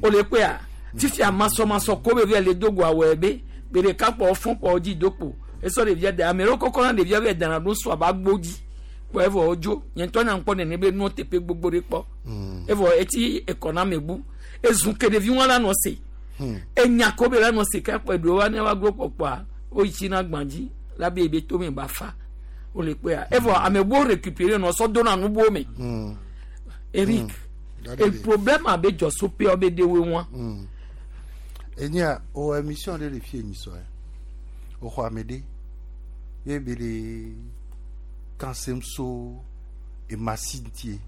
wòle kpea fifia masɔmasɔ ko be via le do go awɔe be gbe ɖeka kpɔ fɔn kpɔ dzi do kpo esɔ ɖevia da ame ɖewo kɔkɔ na ɖevia be dana ɖo sɔ aba gbo dzi kpɔ evɔ wodzo nye ŋutɔ nya ŋkpɔ nene be nuwo teƒe gbogbo ɖe kpɔ evɔ etsi ekɔ na ame bu ezu ke ɖevi wọn la nɔ se enya ko be la nɔ se ke kpɔ eɖewo wa ne wa glo kpɔkpɔa woyi tsi na gbã dzi la be ebe tome ba fa wole kpɔa evɔ ame buwo récupérer nɔ sɔ dona nubuwo me Eric e problème abe dzɔ so pe be de wo wa.
Enya o émission ɖe le fie nyi sɔ ye. Woxɔ ame ɖe ye be le kansem so emasi ŋutie.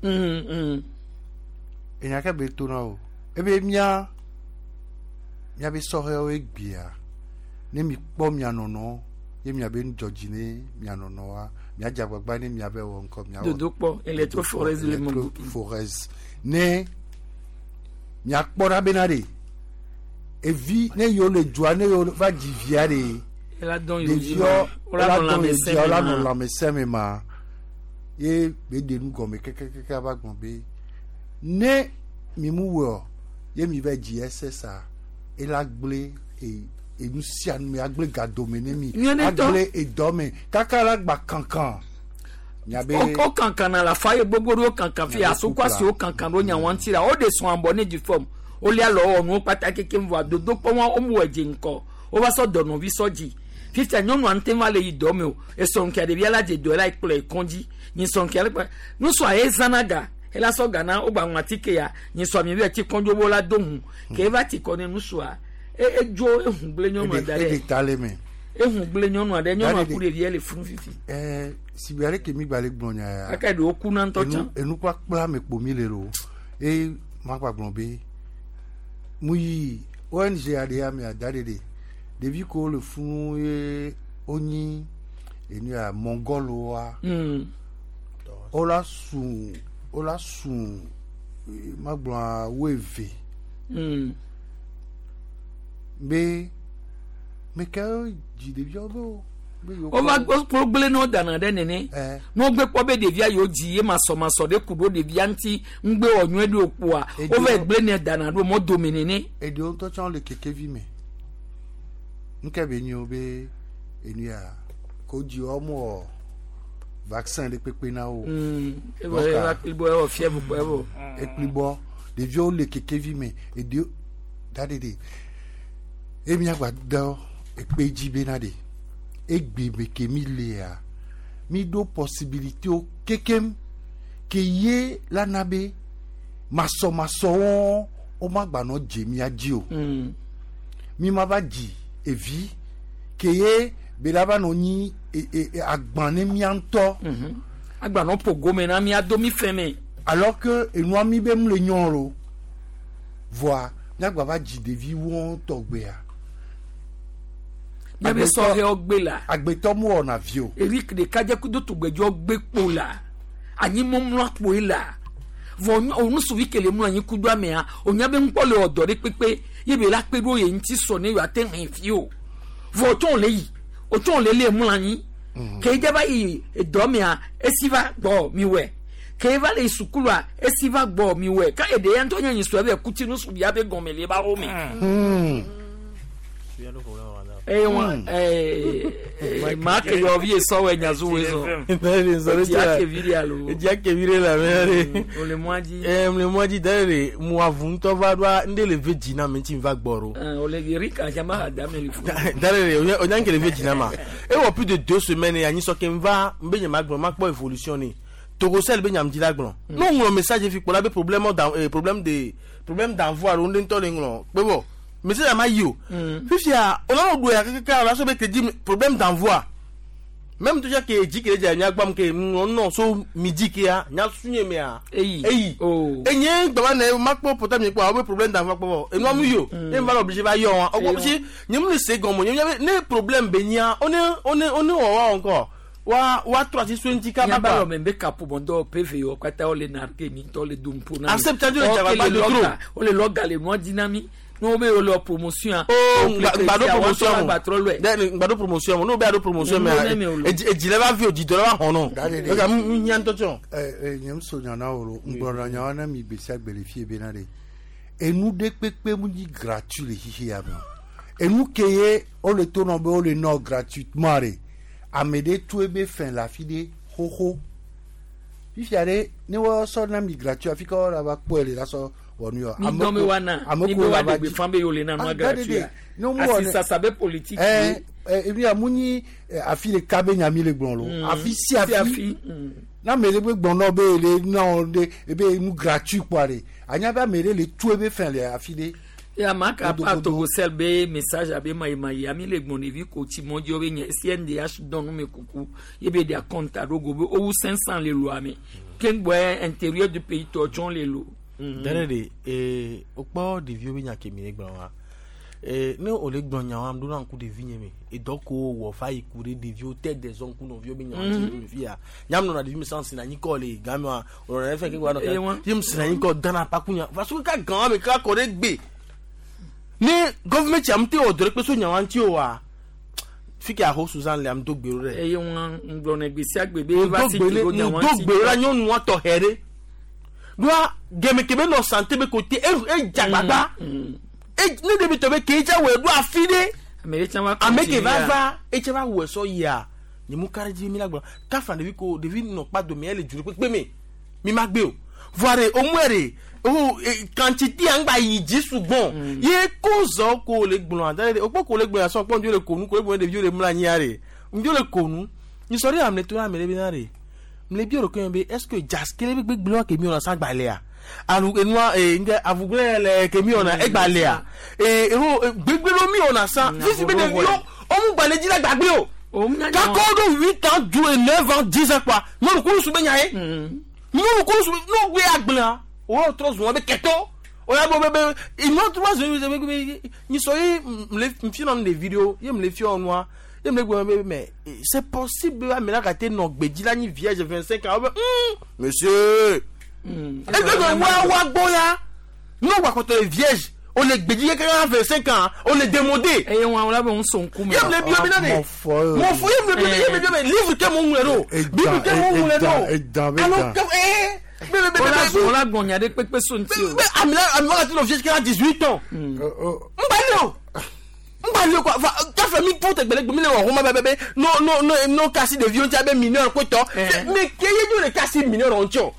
Enya ke be to na o. Ebe mía míabe sɔhɛwo egbea ne mi kpɔ mia nɔnɔ ye miabe nudzɔdzi ne mia nɔnɔa miadze agbagba ne miabe wɔ ŋkɔ miawɔ
Dodokpɔ, électrophorèse le mɔ.
électrophorèse ne miakpɔ ɖa bena ɖe evi ne yewo le dua ne yewo va dzi via ɖe
Ela dɔn yewo dzi
ɖeviɔ
ma, wola
wola
nɔ
dɔn yewo
lãmesẽ
dzia wola
me
nɔ
ma.
lãmesẽ me ma ye be ɖe nu gɔme kɛkɛkɛkɛ va gblɔ be ne mi mu wɔ ye mi va dzi ɛsɛ sa ela gblẽ e enu sia nu me agblẽ gadome ne mi
Nyuie ne tɔ.
agblẽ edɔ me kaka la gba kankan miabe
O kankan na la fa ye gbogbo ɖo kankan fi
Miabe
asokɔ asi
kukla.
o kankan ɖo nyawa ŋuti la o de sɔn abɔ ne du fɔm o lia lɔ wɔ nuwo kpata keke vɔa dodokpɔ wa o mu wɔ dze ŋkɔ o va sɔ dɔnɔvi sɔ dzi fifia nyɔnua ŋutɛ va le yi dɔ me o esɔnkea ɖevia la dze dɔ la kplɔ ekɔndzi nyisɔnkea le kplɔ nusɔa ye zãna ga ela sɔ ga na wo gba ŋu atike ya nyisɔa mi be ti kɔndzo wo la do hu ke eva ti kɔ ne nusɔa e edzo ehun gblẽ nyɔnua da
eɖe
ɖe
ta le me.
ehun gblẽ nyɔnua ɖe nyɔnua
Ɖaɖe-
ku ɖevia le funu fifi
ɛɛ sibi ale ke mi gba le gblɔ nya ya.
kaka ɖewo kuna ŋutɔ tsã.
Enu kpakpla me kpo mi le lo eye ma gba gblɔ be mu yi ONG aɖe ya mea da ɖe ɖe ɖevi kewo le funu ye wonyi enu ya mongoloa wola su wola su eh, ma gblɔ woeve be meke dzi ɖeviawo be o be yewo
wova
kpɔ-
kpɔ gblẽ ne wodana ɖe nene ne wogbe kpɔ be ɖevia yewo dzi ye masɔmasɔ ɖe ku ɖo ɖevia ŋuti ŋugbe wɔ nyuie ɖe okpoa wova gblẽ ne dana ɖo mɔ dome nene.
Eɖewo ŋutɔ tsã le kekevi me nke be nyo be enu ya ko dzi wɔm wɔ vaccin ɖe kpekpe na wo.
Evɔ eva kplibɔ ewɔ fièvre kpɔ evɔ.
Ekplibɔ ɖeviwo le kekevi me eɖewo da ɖe ɖe eye miagba dɔ ekpe dzi bena ɖe egbe me ke mi lea mi ɖo possibilité wo kekem ke ye la na be masɔmasɔwo womagba nɔ dze mia dzi o. Mi ma va dzi evi ke ye be la va nɔ nyi agban ne mia ŋutɔ.
Agba nɔ ƒo gome na mia do mi fɛn me.
Alors que enua mi be mu le nyɔ lo voa miagba va dzi ɖevi wɔn tɔgbea.
Miabe sɔhɛwo gbe la.
Agbetɔ mu wɔna vi o.
Eric ɖekadze kudo tugbedzɔ gbe kpo la anyi mɔmlɔ kpoe la vɔ onusuvi kele mlɔ anyi kudo amea onya be ŋkpɔ le ɔdɔ ɖe kpekpe ye be la kpe ɖo ye ŋuti sɔ ne yewoate hɛn fi o vɔ otsɔ le yi otsɔ le le mlɔ anyi ke dze va yi edɔ mea esi va gbɔ mi wɛ ke va le yi sukulua esi va gbɔ mi wɛ ka eɖe ya ŋutɔ nye nyi sɔ ebe kuti nusuvia be gɔme le eba xɔ me. Eye wọn ɛɛ maa ke yɔ vi sɔwɔ nyazuwe zɔ. Edzi ake vi ɖe alo.
Edzi ake vi ɖe le ame ɖe.
O le mɔa dzi.
Ɛ le mɔa dzi da ɖe mu avu ŋutɔ va ɖoa ŋɖe le ve dzi na me ŋuti va gbɔ ɖo.
O le Erika jama ha da me le fu.
Da ɖe o nya nke le ve dzi na ma. Ewɔ plus de 2 semaines anyi sɔ ke n va n be nye ma gblɔ ma kpɔ évolution ne. Togocel be nyam dzi la gblɔ. Ne o ŋlɔ message fi kpɔ la be problème dan problème de problème d'envoi alo ŋɖe ŋutɔ le ŋlɔ kpe bɔ message ma yi o. Fifia o nana do ya keke la so be crédit problème d'envoi. Même déjà ke dzi ke dze nya gbam ke ŋlɔ nɔ so midi ke ya nya sunye mea.
Eyi.
Eyi. Enye gbama ne ma kpɔ portable nye kpɔ awo be problème d'envoi kpɔ bɔ enua mu yi o. Ne ma le obligé va yɔ wa. Ɔkpɔ si nye mu le se gɔmɔ nye ne problème be nya one one one wɔ wa encore wa wa trɔ asi so ŋuti kaba
Nyaba
kpa.
lɔ mɛ bɛ kapo bɔndɔ PV wɔ kpata wole narke mi ŋutɔ le dom po na mi.
Accepte le dzagba de trop.
Wole lɔ ga le nua di na mi. Ne wo be wole wɔ promotion a.
Oh, ngbado promotion mo.
Gbatrɔ lɔe.
Dɛ ngbado promotion mo n'o bɛ ado promotion mɛ
Mm, ne me o.
edzi lɛ va vi o dzi dɔ lɛ va hɔn nɔ. Eka n nya ŋutɔ tsɔ.
Ɛ nye so nya na wo lo ŋgblɔna nyawo na mi gbe sia gbe le fie bena ɖe enu ɖe kpekpe mu nyi gratuit le xixi ya me o enu ke ye wole to nɔ be wole nɔ gratuitement ɖe ame ɖe tu ebe fɛn le afi ɖe xoxo fifia ɖe ne woasɔ na mi gratuit afi ka wola va kpɔe le la sɔ wɔ nu yɔ.
Mi dɔn be wa na mi be wa de gbeƒã be yewo le na nua gratuit a. Asi sasa be politique ye.
ɛ ɛ ebi mu nyi afi ɖeka be nya mi le gblɔ lo afi sia
Sia
afi
fi.
na ame ɖe be gblɔ nɔ be le nɔ ɖe ebe nu gratuit kpɔa ɖe anya be ame ɖe le tu ebe fɛn le afi ɖe.
Ya ma ka pa Togocell be message abe mayimayi ami le gbɔn ɖevi ko tsi mɔ dzi be nye CNDH dɔn nu me kuku ye be ɖe akɔnta ɖo go be wowu 500 le loa me keŋgbɔe intérieur du pays tɔ tsɔ le lo.
Dane de ee wokpɔ ɖeviwo be nya ke mi le gblɔ wa ee ne wòle gblɔ nya wa ɖo na ŋku ɖevi nye me edɔ ko wɔ va yi ku ɖe ɖeviwo tɛ de zɔn ku nɔviwo be nya wa ti le fi ya nyam nɔna ɖevi me san sina anyi kɔ le game wa wònɔna efe ke wa nɔ
Eh,
ye mu sina anyi kɔ dana kpaku nya va so ka gan wa me ka kɔ ɖe gbe ne gɔvumɛnti am te wɔ dɔ ɖe kpe so nya wa ŋuti o wa fi ke aho Suzanne le am do gbe ɖo ɖe
eye wọn ŋgblɔ ne gbe sia gbe be va si
ŋdogbe
to nya wa
ŋdogbe la nyɔnua tɔxɛ ɖe ɖoa gɛmɛ kebe nɔ sante be kote e e dzagbagba e ne ɖevi tɔ be ke edza wɔ ɖo afi ɖe
ame ɖe tsã va
ame ke va
continue
va etse va wɔ sɔ yia nyemu ka ɖe dzi mi la gblɔ kafa ɖevi ko ɖevi nɔ kpa dome ele dzu ɖe kpekpe me mi ma gbe o voa ɖe omue ɖe o quantité ŋgba yi dzi sugbɔn ye ko zɔ ko le gblɔ ada ɖe okpɔ ko le gblɔ asɔ kpɔ ŋdzo le konu ko le gblɔ ɖeviwo le mla anyia ɖe ŋdzo le konu nyisɔ ɖe ame to ame ɖe be na ɖe mle bi ɖokui me be est ce que jaskele be gbegblẽ wa ke mi wɔna sa gbalẽa alu enua ee ŋdɛ avugblẽ le ke mi wɔna egbalẽa ee eho gbegblẽ ɖo mi wɔna sa fifi be ɖeviwo womu gbalẽ dzi la gbagbe o kakɔ ɖo huit ans du neuf ans dix ans kpa nyɔnu kulu su be nya ye nyɔnu kulu su n'o gbe agblẽa o yɔ trɔ zɔn be kɛtɔ o ya bɔ be be inɔ trɔ zɔn be be be nyisɔ ye mle fiɔ nu ɖevi ɖewo ye mle fiɔ nua ye mle gblɔ be mais c'est possible be ame la gate nɔ gbedzi la nyi vierge 25 ans wo be monsieur egbe wa wa gbɔ ya n'o gba kɔtɔ ye vierge o le gbedzi keke la 25 ans o le démodé.
eye wọn wla be ŋusɔ ŋkume.
ye mle bio bi na de mɔ fɔ ye mle bio ye mle bio be livre ke mo ŋlɔ ɖo bible ke mo ŋlɔ ɖo alo ke ee be be be be
wọ́n la gbɔn nya ɖe kpekpe so ŋuti o.
be ame la ame la ti nɔ vierge keke la 18 ans ŋgba le o ŋgba le quoi va kafe mi po tɛgbɛlɛ gbemi le wɔ xɔma bɛ bɛ bɛ no no no no kasi ɖeviwo ŋuti abe mineur kotɔ mais ke ye dzo le kasi mineur ŋuti o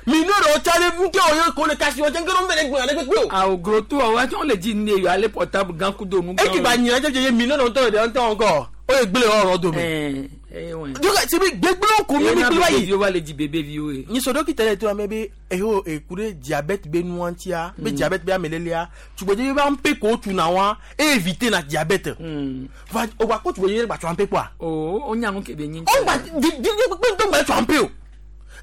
mineur ŋuti ale ŋuti o ye ko le kasi ŋuti ŋgɛ ɖo ŋgɛ le kpekpe o.
awo glo to wa tsɔ le dzi ne yɔ ale portable gã kudo nu.
eki ba nyina jɛjɛ ye mineur ŋutɔ ɖe ŋutɔ ŋkɔ o ye gblẽ ɔrɔ dome. donc c'est bi gbegblẽ ko mi mi gblẽ wa yi.
ɖeviwo va le dzi bebe viwo ye.
nyisɔ dɔkita ɖe to ame be eho eku ɖe diabète be nua ŋutia be diabète be amelelea tugbedze be ampe ko tuna wa e éviter na diabète. va o gba ko tugbedze gba tso ampe kpoa.
o o nya nu ke be nyi.
o gba di di kpekpe ŋutɔ gba tso ampe o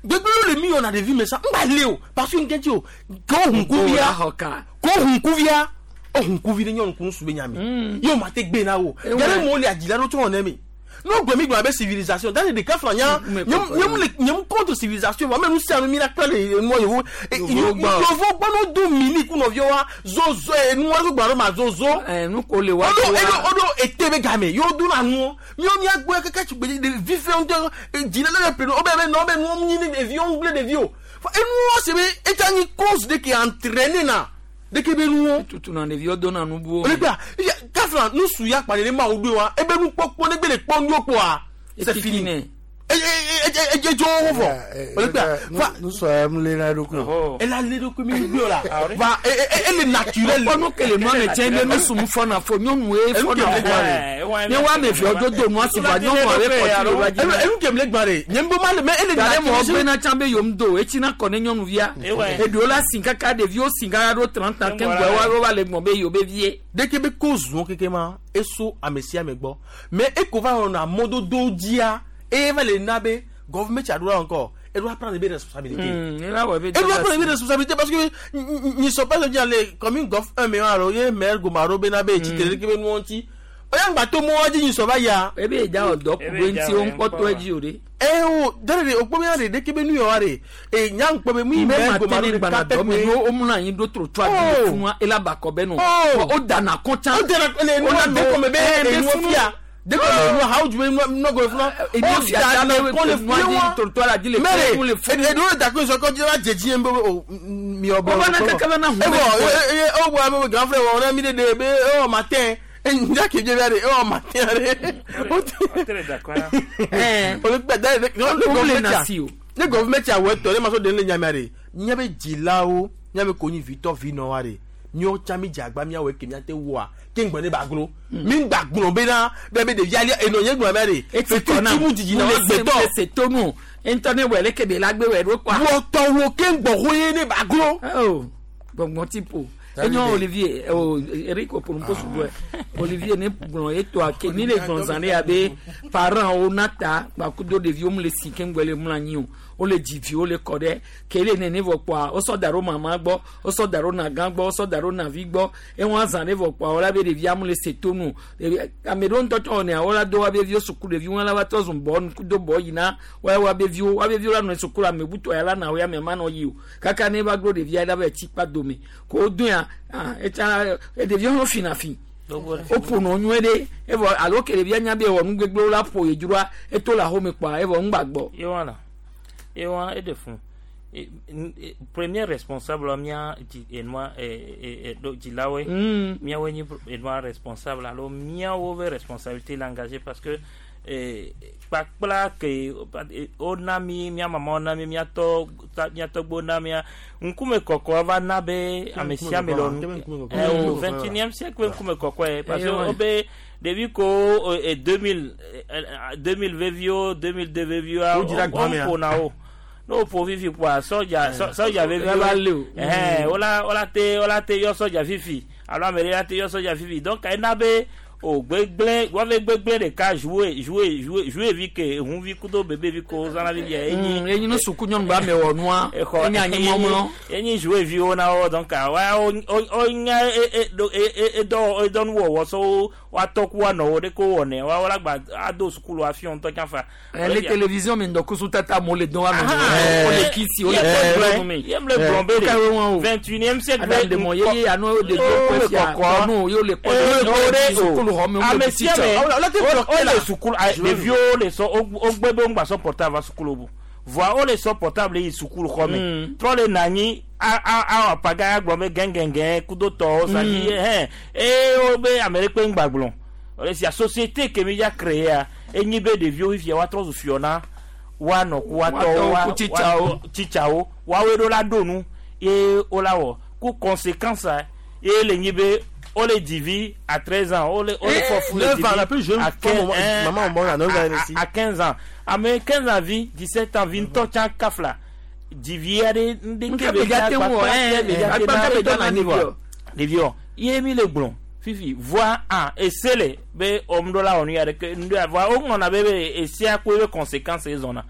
gbegblẽ le mi yɔna ɖevi me sa ŋgba le o parce que ŋkɛ ti o ko hunkuvia ko hunkuvia o hunkuvi ɖe nyɔnu kun su be nya mi ye o ma te gbe na wo yɛrɛ mo le adzila ɖo tsɔ ne mi n'o gbemi gblɔ abe civilisation dans les cas flan nye mu contre civilisation wa mɛ nu sia nu mi la kple le nua yewo yewo gbɔ n'o do mini ku nɔviwo wa zozo nua ko gblɔ ɖo ma zozo
nu ko le wa
o do ete be game yewo do na nuwo miwo mia gbɔ keke tsi gbe ɖevi fɛn ŋutɔ dzila le ƒle o bɛ bɛ nɔ bɛ nuwo nyi ne ɖeviwo ŋgble ɖeviwo enuwo se be etsa nyi cause de ke entraîner na de ke be nuwo.
tutu na ɖeviwo do na nu buwo.
o le gbea kafla nusu ya kpa nene ma wo do wa ebe nukpɔkpɔ ne gbe le kpɔ nuwo kpɔa c'est fini edzo wo vɔ o le gbea va
nusɔ ya mu le na ɖokui o.
ela le ɖokui mi gbé o la va ele naturel.
kpɔnu kele nua me tsɛ be nusu mu fɔna fo nyɔnue fɔna fo ne wa ame viwo do do nua si va nyɔnua be kɔti le wa dzi.
enu kemi le gbã de nye ŋbɔ ma le mɛ ele
naturel. mɔ gbena tsã be yom do etsi na kɔ ne nyɔnuvia eɖewo la si kaka ɖeviwo si kaka ɖo 30 ans keŋgbɔ wa va le gbɔn be yewo be vie.
deke be ko zɔn keke ma eso ame sia ame gbɔ mɛ eko va wɔna mɔdodo dzia eye va le na be gɔvumɛnti aɖo encore elle doit prendre des responsabilités.
Elle
doit prendre des responsabilités parce que n'y sont pas dire les commune gof 1 million alors ye maire Gomaro Benabe ti tele ke nu onti. Oya ngba to mo di n'y sont pas ya.
Ebe ja odo ku be nti o npo to eji ore.
Eh o dere o po mi re de ke be nu yo are. E nya npo be mi maire Gomaro
de ka pe mi o mu na yin do trottoir di fún wa ela ba ko be no. O dana kon chan.
O dana le nu na de ko me be e nu fia. Dès que nous avons joué, nous avons
joué,
mais d'accord, ils ont continué à dédier un peu au grand frère, on a mis des bébés au matin. Oh, matin, Le gouvernement a ouais, les maçons de l'Nyamare. Nyame Djilao, Nyame Koni Victor Vinoare. Nyo Chami Djagba, Miawe Kemiate Wa. Ke ŋgbɔ ne ba glo mi gba gblɔ bena bɛ be ɖevi ali enɔ nye gblɔ bɛ de
eti
mu dzidzi na wa gbɛtɔ
se tonu ŋutɔ ne wɛ leke be la gbe wɛ ɖo kɔa.
Wɔtɔwo ke ŋgbɔ ho ye ne ba glo.
gbɔngbɔn ti po. Enyo Olivier, o Eric Oporumpo sugbɔ. Olivier ne gblɔ etoa ke ni le gblɔ zã ɖe abe parents wo na ta gbakudo ɖeviwo mu le si ke ŋgbɛ le mlɔ anyi o. Wole dzi viwo le kɔ ɖe ke le nene vɔ kpɔa wosɔ da ɖo mama gbɔ, wosɔ da ɖo nagã gbɔ, wosɔ da ɖo navi gbɔ. Ewa zã ɖe vɔ kpɔa wola be ɖevia mu le se to nu. Ɖevi ame ɖewo ŋutɔ tsɔ wɔnɛ wola do woabe viwo suku ɖeviwo la va trɔ zu bɔ nukudo bɔ yina woya woabe viwo woabe viwo la nɔ suku la ame butɔ ya la na wo ya ame ma nɔ yi o. Kaka ne va glo ɖevia la va tsi kpa dome. Ko wo do ya ah etsa ɖeviwo hã fina fi. Woƒonɔ nyuie ɖe evɔ alo ke ɖevia nya be ewɔ nu gbegblẽwo la ƒo ye dzroa eto le axome kpɔa evɔ ŋgba gbɔ.
Yewana yewa eɖe fun premier responsable mía dzi enua ɖo dzilawoe. Míawoe nyi enua responsable alo míawo be responsabilité le engagé parce que kpakpla ke wona mí mía mamawo na mí míatɔ míatɔgbewo na mía ŋkume kɔkɔ va na be ame sia ame le o 21e siècle ŋkume kɔkɔe parce que wobe ɖevi ko 2000 2000 veviwo 2002 veviwo woƒona wo ne woƒo fifi kpoa sɔdza sɔdza veviwo ɛhɛn wola wola te wola te yɔ sɔdza fifi alo ame ɖe la te yɔ sɔdza fifi donc ena be o gbegblẽ woave gbegblẽ ɖeka jouer jouer jouer jouer vi ke ehuvi kudo bebe vi ko zãna vivia enyi
enyi no suku nyɔnu ba me wɔ nua enyi anyi mɔmlɔ
enyi jouer viwo na wo donc wa wo nya edɔ edɔ nuwɔwɔ sɔ woatɔ ku woanɔ wo ɖe ko wɔnɛ wa wola gba ado sukulu afi ŋutɔ tsã fa.
Le télévision mi ŋdɔkusu tata mo le dɔn wa nɔ o le kisi o le kpɔ nu mi.
Yem le gblɔ be de 21e siècle
Adam de mɔ ye anu de do kɔ fia kɔnu ye o le kpɔ
de
sukulu xɔ mi o
ame
le
sia
teacher.
ame o le sukulu ɖeviwo le sɔ wo gbe be ŋgba sɔ portable va sukulu o voa wo le sɔ portable yi sukulu xɔ me trɔ le na anyi awɔ apaga gblɔ be gɛngɛngɛn kudo tɔwo sadi hɛn eye wo be ame ɖe kpe ŋgba gblɔ o sia société ke mi dza créer enyi be ɖeviwo fifia woatrɔ zu fiɔ na woanɔ ku woatɔwo
Woatɔwo ku tsitsawo.
tsitsawo woawoe ɖo la ɖo nu ye wola wɔ ku conséquence ye le nyi be wole dzi à 13 ans wole wole fɔ fu le
9
dzi
ans, la plus jeune
à
femme,
15
maman, maman, à 9 ans, elle aussi.
à 15 ans ame 15 ans vi 17 ans vi ŋutɔ tsã kafla dzivi aɖe
Nke be dza te ŋu wɔ, agba ke be dza na ɖeviwo.
ɖeviwo ye mi le gblɔ fifi voa a ese le be ɔmuɖo la wɔ nu ya ɖeke nu ya voa woŋlɔna be be esia ko ebe conséquence ezɔna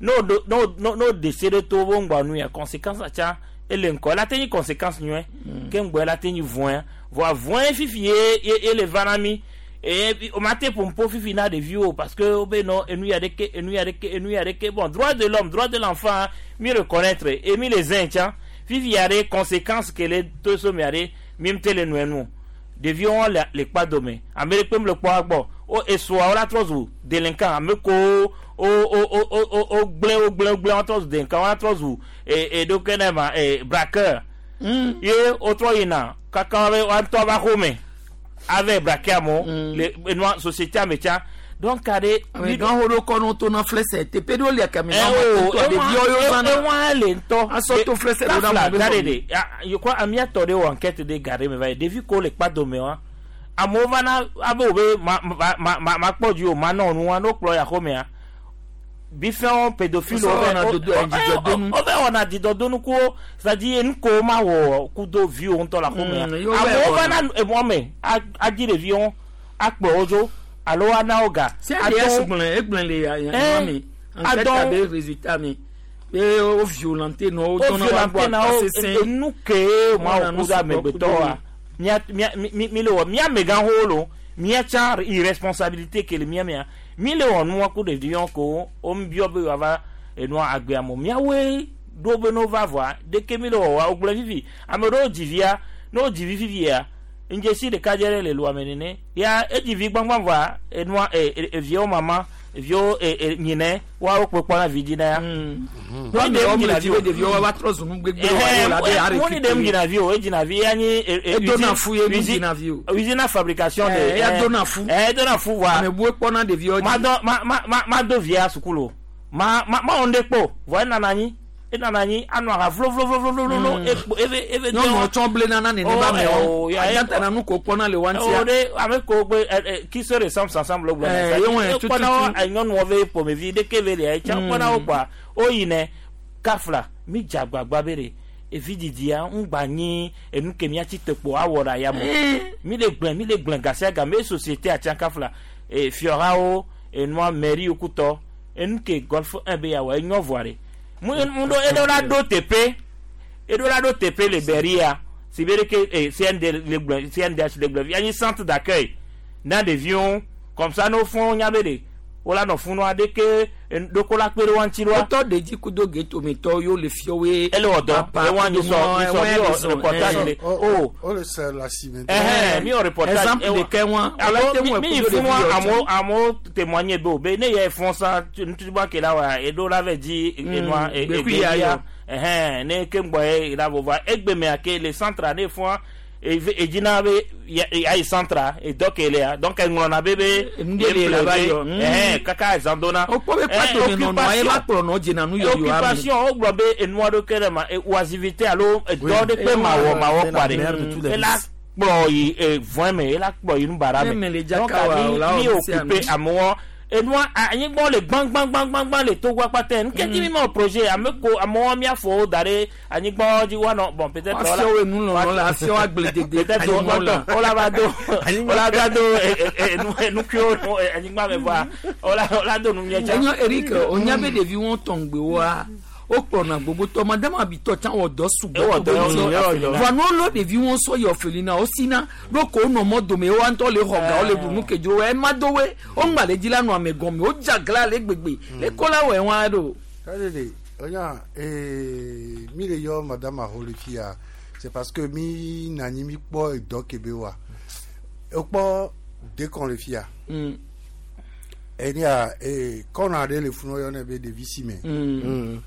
n'o do n'o n'o n'o dese ɖe to wo ŋgbɔ nu ya conséquence tsa ele ŋkɔ ela te nyi conséquence nyuie ke ŋgbɔ ela te nyi vɔ̃e voa vɔ̃e fifi ye ye ye le va na mi eye o ma te ƒompo fifi na ɖeviwo parce que wo be nɔ enu ya ɖeke enu ya ɖeke enu ya ɖeke bon droit de l'homme, droit de l'enfant mi reconnaître et mi le zɛn tsã fifi ya ɖe conséquence ke le to so mia ɖe mi ŋute le nɔe nu ɖeviwo le le kpa dome ame ɖe kpem le kpɔ gbɔ wo esoa wo la trɔ zu délinquant ame ko wo wo wo wo wo gblẽ wo gblẽ wo gblẽ wo trɔ zu délinquant wo la trɔ zu e e ɖokue ne ma e braqueur ye wotrɔ yina kaka be woatɔ va xome ave braquer amewo le enua société ame tsã donc aɖe.
Ame gã wo ɖo kɔ no to na flɛsɛ teƒe ɖewo lia kame na wo to ɖeviwo yɔ zãna
ewa le ŋutɔ
asɔ to flɛsɛ ɖo ɖe amewo
gare de yekɔ amia tɔ ɖe wɔ enquête de gare me va yi ɖevi ko le kpa dome wa amewo va na abe wo be ma ma ma ma ma kpɔ dzi o ma nɔ nua n'o kplɔ ya xɔmea bifɛnwo pédophile
Wo wɔna dodo- dzidzɔdonu.
wo bɛ wɔna dzidzɔdonu kuwo c'est-à-dire nu ko ma wɔ kudo viwo ŋutɔ le xɔmea
Mm, yewo bɛ
amewo va
wɔna.
na emɔ me adzi ɖeviwo akplɔ wo dzo alo ana wo ga
Se ADS gblẽ egblẽ le ya mi enquête abe résultat mi be wo violenter nɔ wo
wo
dɔnna wa gbɔ
violenter na wo
akpasesẽ.
enu ke ma
Wɔna
wo
nu
kudo
sugbɔ
amegbetɔ
kudo
wa mía mía mi mi le wɔ mía amegãxowo lo mía tsã irresponsabilité ke le mía mea mi le wɔ nua ku ɖeviwo ko wo biɔ be woava enua agbea mo míawoe ɖo be no va vɔa ɖeke mi le wɔ wa wogblẽ fifi ame ɖewo dzi via ne wo dzi vi fifia ŋdzesi ɖeka dze ɖe le lua me nene ya edzi vi gbãgbã vɔa enua e eviawo mama eviawo e e nyinɛ woawo kpekpɔ na vi dzi na ya.
Wa mi wɔm le dzi be ɖeviwo wa va trɔ zu nu gbegblẽ wa ye la be are
Moni dem dzina vi o edzina vi ya nyi
Edona fu ye nu dzina vi o.
Usine fabrication de
Eya dona fu.
Edona fu wa
Ame bue kpɔna ɖeviwo dzi.
ma dɔ ma ma ma ma do via sukulu o ma ma ma wɔn ɖe kpɔ vɔ enana anyi enana anyi anɔ aha vlovlovlovlovlo ekpo eve eve
Nyɔnuwo tsɔ blena na nene ba amewo. Adzata nu ko kpɔna le wa
o
ŋutia.
de ame ko gbe ɛ ɛ qui se ressemble s'ensemble gblɔ
Eh, ye wɔn tututu.
kpɔna wo nyɔnuwo ve ƒomevi ɖeke ve lia etsa kpɔna wo kpɔa wo yinɛ kafla mi dze agbagba be ɖe Evi didia ŋgba nyi enu ke miatsi te kpo awɔ ɖe ayame. Mi le gblẽ mi le gblẽ gasia game ye société atsiakafla e fiɔhawo enua mairie kutɔ enu ke golf 1 be yawɔ enyɔ vɔa ɖe. Mu mu ɖo eɖo la ɖo teƒe eɖo la ɖo teƒe le Beria si be ɖeke e CND le gblẽ CNDH le gblẽ anyi centre d'accueil na ɖeviwo comme ça ne wofɔ nya be ɖe wola nɔ funua ɖeke ɖoko la kpe ɖe wa ŋuti ɖoa.
Wotɔ ɖedzi kudo getometɔwo yewo le fiɔwoe.
Ele wɔ dɔ ewa nyi sɔ nyi sɔ mi wɔ reportage le o.
O le se le asime.
Ɛhɛn mi wɔ reportage.
Exemple ɖeka wa.
Alo mi mi yi funua amewo amewo témoigner be o be ne yɛ fɔn sa nututuba ke la wa eɖo la vɛ dzi enua
gbekui ya yɔ.
Ɛhɛn ne ke ŋgbɔ ye la vova egbemea ke le centre ne fɔn edzina be ayi centre edɔ ke lea donc eŋlɔna be be
Nuɖe le là-bas yɔ.
Ɛhɛn kaka ezan dona.
Wokpɔ be kpatome nɔnɔa ye va kplɔ nɔ dzena nu yɔyɔa me.
Occupation wogblɔ be enua ɖo ke ɖe ma oasivité alo edɔ ɖe kpe mawɔ mawɔ kpa ɖe ela kplɔ yi vɔe me ela kplɔ yi nubaɖa
Ne
me
me le
donc
dzaka wa
mi
o la
mi
wɔ sia
occupé
nu.
amewo enua anyigbɔ le gbãgbãgbãgbã le togo akpata nu ke ti mi ma wɔ projet ame ko amewo miafɔwo da ɖe anyigba dzi woanɔ bon peut-être
Afiɔwo enu lɔlɔ la afiɔwo agbledede
peut-être
anyigba la.
wola va do wola va do enukuiwo nu anyigba me vɔa wola wola do nu miɛ
Enyo Eric onya be ɖeviwo tɔŋgbewoa wokplɔna gbogbotɔ madame abitɔ tsã wɔ dɔ sugbɔ
Ewɔ dɔ,
to be ŋuti.
ewɔ dɔ.
Vɔa ne wolɔ ɖeviwo sɔ yi ɔfelina wosina ɖo ko wonɔ mɔ dome woa ŋutɔ le xɔ ga wole ɖu nu ke dzro ema do woe woŋgba le dzi la nɔ ame gɔme wodze agla le gbegbe le ko la wɔe wa ɖo.
Kadede, oya, mi le yɔ madame aho le fia, c'est parce que mi nani mi kpɔ edɔ ke be wa. Ekpɔ dekɔn le fia. Enia, kɔna ɖe le funu yɔnɛ be ɖevi si me.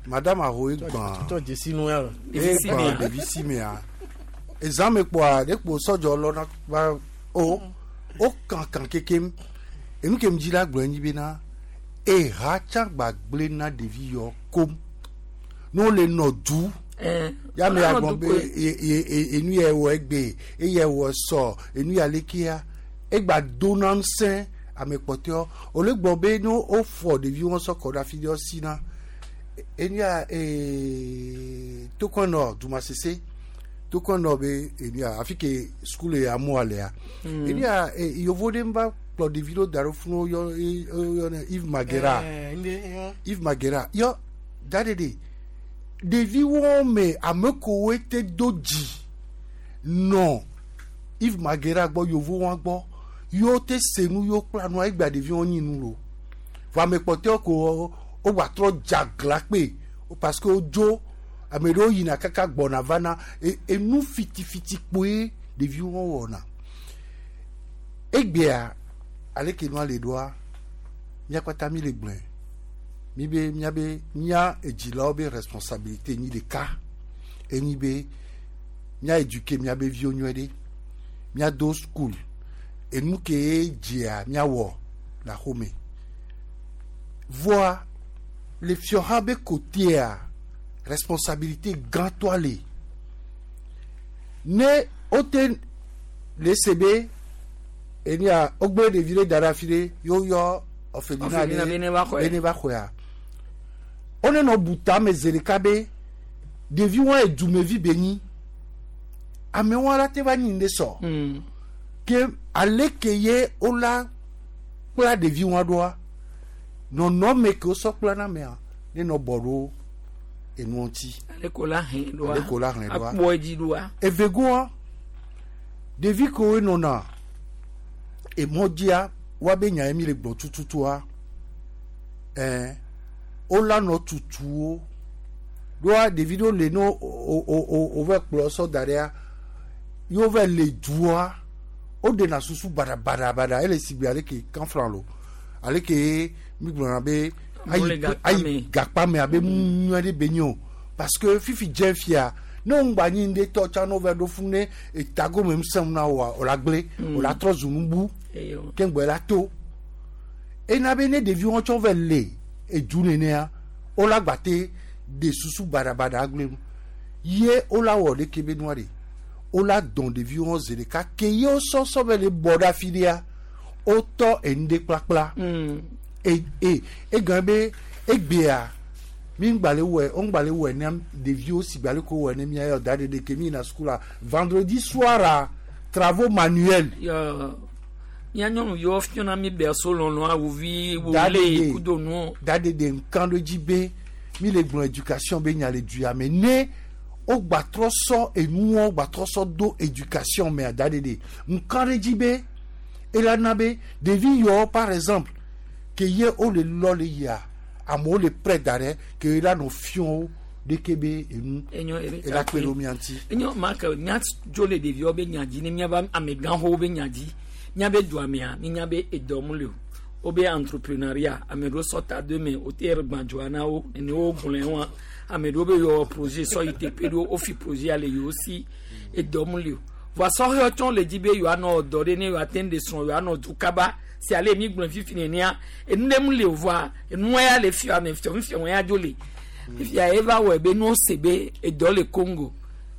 Madame aho egbã.
Tɔ dzesi nu ya.
Egbã ɖevi si mea. Ezã me kpoa, ɖe kpo sɔdzɔ lɔna va o, o kankan kekem. Enu ke mi dzi la gblɔ enyi bena, eha tsã gbagblẽ na ɖevi yɔ kom. Ne wole nɔ du, ya me
wole nɔ
agblɔ
du
be
koe.
enu yɛ wɔ egbe, eyɛ wɔ sɔ, enu ya lekea, egba dona ŋusẽ ame kpɔtɔewo. Wòle gblɔ be ne wofɔ ɖeviwo sɔ kɔ ɖe afi ɖe wosina. Enu ya tokɔnɔ dumasese tokɔnɔ be enu ya afi ke sukulu ya amewoa lea. Enu ya yevu ɖe va kplɔ ɖevi ɖewo da ɖe funu woyɔ woyɔnɛ Yves Magera. Yves Magera yɔ da ɖe ɖe ɖeviwo me ame kowoe te do dzi nɔ Yves Magera gbɔ yevuwo gbɔ yewo te se nu yewo kpla nua egbea ɖeviwo nyi nu lo vɔ ame kpɔtɔewo ko wogba trɔ dze agla kpe parce que wodzo ame ɖewo yina kaka gbɔna vana enu fitifiti kpoe ɖeviwo wɔna egbea aleke nua le ɖoa mía kpata mi le gblɔe mi be míabe mía edzilawo be responsabilité nyi ɖeka enyi be mía éduquer míabe viwo nyuie ɖe míado school enu ke ye dzea míawɔ le axome vɔa le fiɔha be kotea responsabilité gãtɔa le ne wote le se be enia wogblẽ ɖevi ɖe da ɖe afi ɖe ye woyɔ
Orphelinat
orphelinat
be ne va xɔe.
be ne va xɔea wonenɔ bu tame zi ɖeka be ɖevi wa edumevi be nyi amewo la te va nyi ŋɖe sɔ ke ale ke ye wola kpla ɖevi wa ɖoa nɔnɔme ke wosɔ kpla na mea ne nɔ bɔ ɖo enuɔ ŋuti
Ale ko la hɛn ɖoa.
Ale ko la hlẽ ɖoa.
Akpɔ edzi ɖoa.
evegoa ɖevi kewoe nɔna emɔ dzia woabe nya ye mi le gblɔ tututua ɛɛ wola nɔ tutuwo ɖoa ɖevi ɖewo le ne wo o o wova kplɔ sɔ da ɖea ye wova le dua woɖena susu baɖabaɖabaɖa ele sigbe ale ke kanflan lo ale ke mi gblɔna be
Amewo le gakpa
ayi
me.
gakpa me abe nu nyuie ɖe be nyi o parce que fifi dze fia ne wo ŋgba nyi ŋɖe tɔ tsã ne wova ɖo funu ne etagome ŋusẽ na woa o la gblẽ o la trɔ zu nubu
Eyo.
ke ŋgbɔ la to ena be ne ɖeviwo tsɔ va le edu nenea wola gba te de susu baɖabaɖa gblẽ nu ye wola wɔ ɖeke be nua ɖe wola dɔn ɖeviwo zi ɖeka ke ye wosɔsɔ be le bɔ ɖe afi ɖea wotɔ enu ɖe kplakpla e e egɔme be egbea Mi ŋgba le wɔe, wo ŋgba le wɔe ne ɖeviwo si gba le ko wɔe ne mia yɔ da ɖe ɖeke mi yina sukula vendredi soir travaux manuels.
Yɔ mía nyɔnuviwo fiɔna mi berceau lɔlɔ awuvi wole kudo nuwo.
Da ɖeɖe ŋkan ɖo dzi be mi le gblɔ éducation be nya le du ya me ne wogba trɔ sɔ enuwo gba trɔ sɔ do éducation mea da ɖeɖe ŋkan ɖe dzi be ela na be ɖevi yawo par exemple ke ye wole lɔ le yia amewo le prêt da ɖe ke ela nɔ fiɔ wo ɖeke be enu ela kpe ɖo mía ŋuti.
Enyo ma ke nya dzo le ɖeviwo be nya dzi ne míava amegãxowo be nya dzi míabe dua mea mínya be edɔ mu le o wobe entrepreneuriat ame ɖewo sɔ ta do me wote gbãdzoa na wo nene wo gblɔe wa ame ɖewo be yɔ projet sɔ yi teƒe ɖewo wofi projet le yewo si edɔ mu le o vɔa sɔhɛwo tsɔ le dzi be yewoanɔ dɔ ɖe ne yewoate ŋu ɖe srɔ̃ yewoanɔ du kaba si ale mi gblɔe fifi nenea enu ɖe mu le o vɔa enua ya le fia me fiɔ fiɔ ya dzo le fifia eva wɔe be nuwo se be edɔ le Congo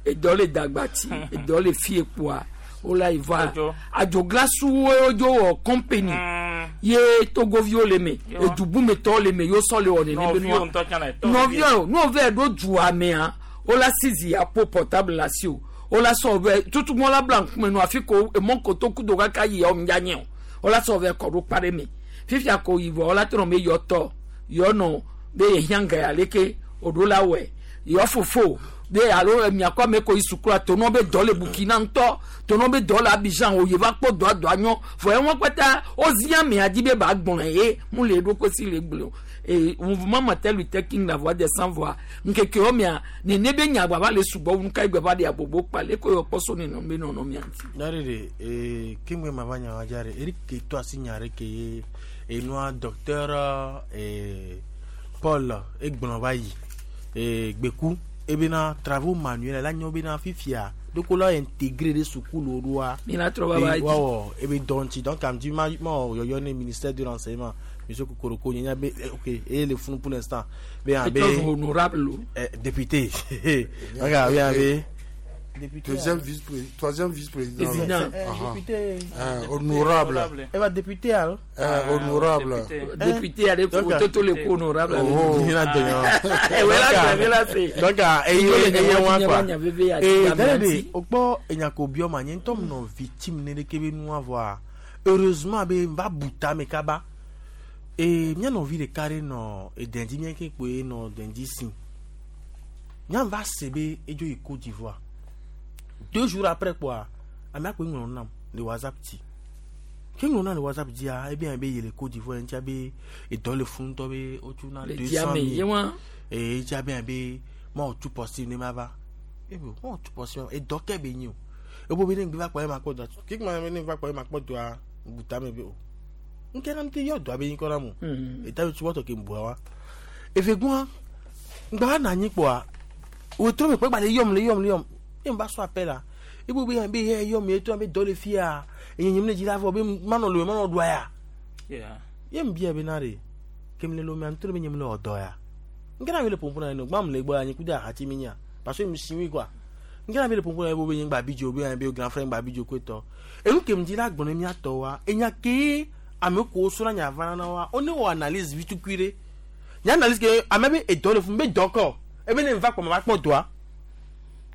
edɔ le Dagbati edɔ le fie kpoa wola yi va adzogblasuwo dzo wɔ company ye togoviwo le me edubumetɔwo le me yewo sɔ le wɔ nene be nua nɔviwo nu wove ɖo dua mea wola sizi apo portable la si o wola sɔ vɛ tutumɔ la bla ŋkume nu afi ko emɔ kotoku do kaka yi yawo ŋdza nye o wola sɔ vɛ kɔ ɖo kpa ɖe me fifia ko yi vɔ wola trɔ be yɔ tɔ yɔ nɔ be yehiã ga ya leke oɖo la wɔe yɔ fofo be alo miakɔ ame ko yi sukua tonɔ be dɔ le Burkina ŋutɔ tonɔ be dɔ le Abidjan o yeva kpɔ dɔa dɔa nyɔ vɔ ewọn kpata wozi amea dzi be ba gblɔe ye mu le eɖokui si le gblɔ o ee mouvement Martin Luther King la voix des sans voix ŋkekewo mea nene be nya gbava le sugbɔ wu nuka egbe va ɖe abobo kpa le ko yɔ kpɔ so nenɔ be nɔnɔ mia ŋuti.
Dari de ee kengbe ma va nya wa dza de Eric ke to asi nya ɖe ke ye enua docteur ee Paul egblɔ va yi ee gbeku ebena travaux manuels la nyɔ bena fifia doko la intégré ɖe sukulu ɖoa.
Mina trɔ va va yi.
Wawɔ ebe dɔ ŋuti donc am di ma ma wɔ yɔyɔ ne ministère de l'enseignement monsieur Kokoroko nye nya be ok eye le funu pour l'instant be yan be
Etrɔ honorable o.
Député donc be yan be.
Deuxième vice troisième vice-président.
Président.
Député.
Honorable.
Eh va député alors.
Honorable.
Député ale ko toto le ko honorable.
Oh. Donc eye eye wa quoi. Eh d'ailleurs o gbɔ enyako biɔ ma nye ŋutɔ nɔ victime ne ɖeke be nua vɔa heureusement be n va bu tame kaba. Eh mía nɔvi ɖeka ɖe nɔ edɛndzi mía ke kpoe nɔ dɛndzi si. Nya va se be edzo yi Côte d'Ivoire. 2 jours après quoi, amea koe ŋlɔ nam le WhatsApp dzi. Ke ŋlɔ nam le WhatsApp dzia, ebe be ye le Côte d'Ivoire ŋutia be edɔ le funu ŋutɔ be wotso na 200 000. Eye ŋutia be be mawɔ tu possible ne ma va. Ebe mawɔ tu possible edɔ ke be nyi o. Ebo be ne ŋgbe va kpɔ ye ma kpɔ dɔa. Ke kuma be ne va kpɔ ye ma kpɔ dɔa, buta me be o. Ŋke na ŋte yɔ dɔa be nyi kɔ na mo. Eta be tubɔtɔ ke ŋbua wa. Eve gbɔa, ŋgba va na anyi kpɔa, wòtrɔ me kpɔ egba le yɔm le yɔm le yɔm. Ye va sɔ appel la. Ibo be be ye yɔ mi to be dɔ le fia. Enye nyim le dzi la vɔ be manɔ lo manɔ ɖua ya.
Yeah.
Ye mbia be na re. Kem le lo mi antro be nyim le ɔdɔ ya. Ngena be le pompo na no gbam le gbɔ anyi kuda hati mi nya. Parce que mi siwi quoi. Ngena be le pompo na bo be nyim gba bijo be be grand frère gba bijo kweto. Enu kem dzi la gbɔn mi atɔ wa. Enya ke ame ko so na nya vana na wa. One wo analyse vitu kuire. Nya analyse ke ame be edɔ le fun be dɔkɔ. Ebe ne va kpɔ ma va kpɔ dɔa.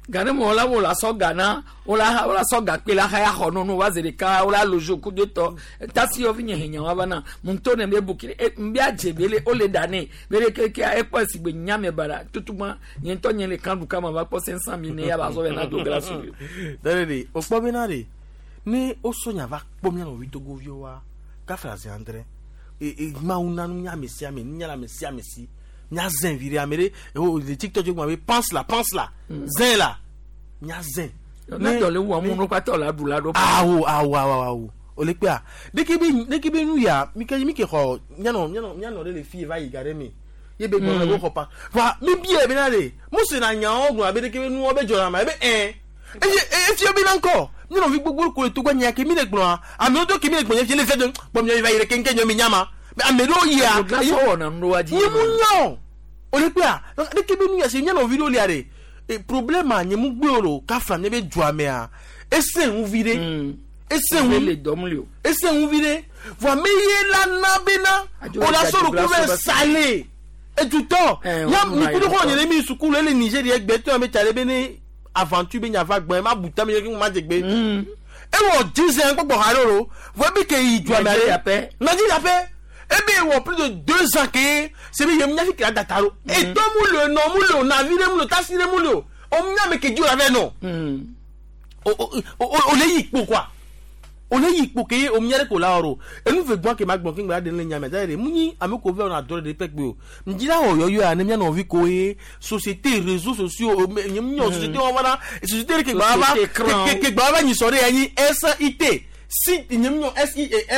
Gane mo la wo la sɔ Ghana, wo la wo la sɔ gakpe la xaya xɔ nɔnɔ wa zi ɖeka wo la lojo ku de tɔ tasi yɔ fi nye henya wa va na ŋutɔ ne be bukiri e nbia dze be le wo le da ne be le keke ekpɔ esi gbe nyame bara tutugba nye ŋutɔ nye le kan du kama va kpɔ 500 000 ne ya ba sɔ bɛ na do glace o.
Dare de o kpɔ bena de ne o sɔ nya va kpɔ mía nɔvi togoviwo wa kafra zi andre e e mawu nanu nya ame sia ame nunya le ame sia ame si nya zɛn vi ɖe ame ɖe o le TikTok dzi gblɔ be pense la pense la zɛn la nya zɛn.
Ne dɔ le wɔ mu nu kpatɔ la ɖu la ɖo.
Awo awo awo awo o le kpea ɖeke be ɖeke be nu ya mi ke mi ke xɔ mianɔ mianɔ mianɔ ɖe le fi va yi ga ɖe me ye be gbɔna be xɔ pa va mi bia be na de mose na nyawo gblɔ abe ɖeke be nuwo be dzɔna ma ebe ɛ eye efia be na ŋkɔ mianɔ vi gbogbo ko le togbɔ nya ke mi le gblɔa amewo do ke mi le gblɔ nye fia le fia do kpɔ mi va yi ɖe keŋkeŋ nyɔ mi nyama ame ɖewo yia nye mu nya o o le kpea ɖeke be nu ya se mianɔ vi ɖewo lia ɖe problème a nye mu gbe o lo kafla nye be dua mea ese ŋu vi ɖe ese ŋu ese ŋu vi ɖe vɔ ame ye la na bena o la sɔrɔ ko bɛ sale. Edutɔ
Eh,
ya
wo na
nikudu
ye
kɔ
tɔ.
nyere mi sukulu ele Nigeria gbe tɔ me tsale be ne aventure be nyafa gbɛ ma buta mi yɛ ki ma dze gbe. Ewɔ 10 ans gbɔgbɔ ha ɖe o vɔ ebi ke yi dua mɛ
Nigeria
ale
pɛ.
Nigeria pɛ ebe wɔ plus de 2 ans ke sebi yem nyafi kira data ro. Etɔ mu le nɔ mu le o navi ɖe mu le o tasi ɖe mu le o o nya me ke dzi o la vɛ nɔ. O le yi kpo quoi o le yi kpo ke o nya ɖe ko la wɔ enu ve gbɔn ke ma gbɔn ke ŋgba ɖe le nya me da ɖe mu nyi ame ko vɛ wɔna dɔ ɖe pɛ kpe o ŋdzi la wɔ yɔyɔ ya ne mía nɔvi ko ye société réseaux sociaux o me nye mu nyɔ société wɔn fana société ɖe ke gba va
Société écran.
ke gba va nyisɔ ɖe ya nyi SIT si nye mu nyɔ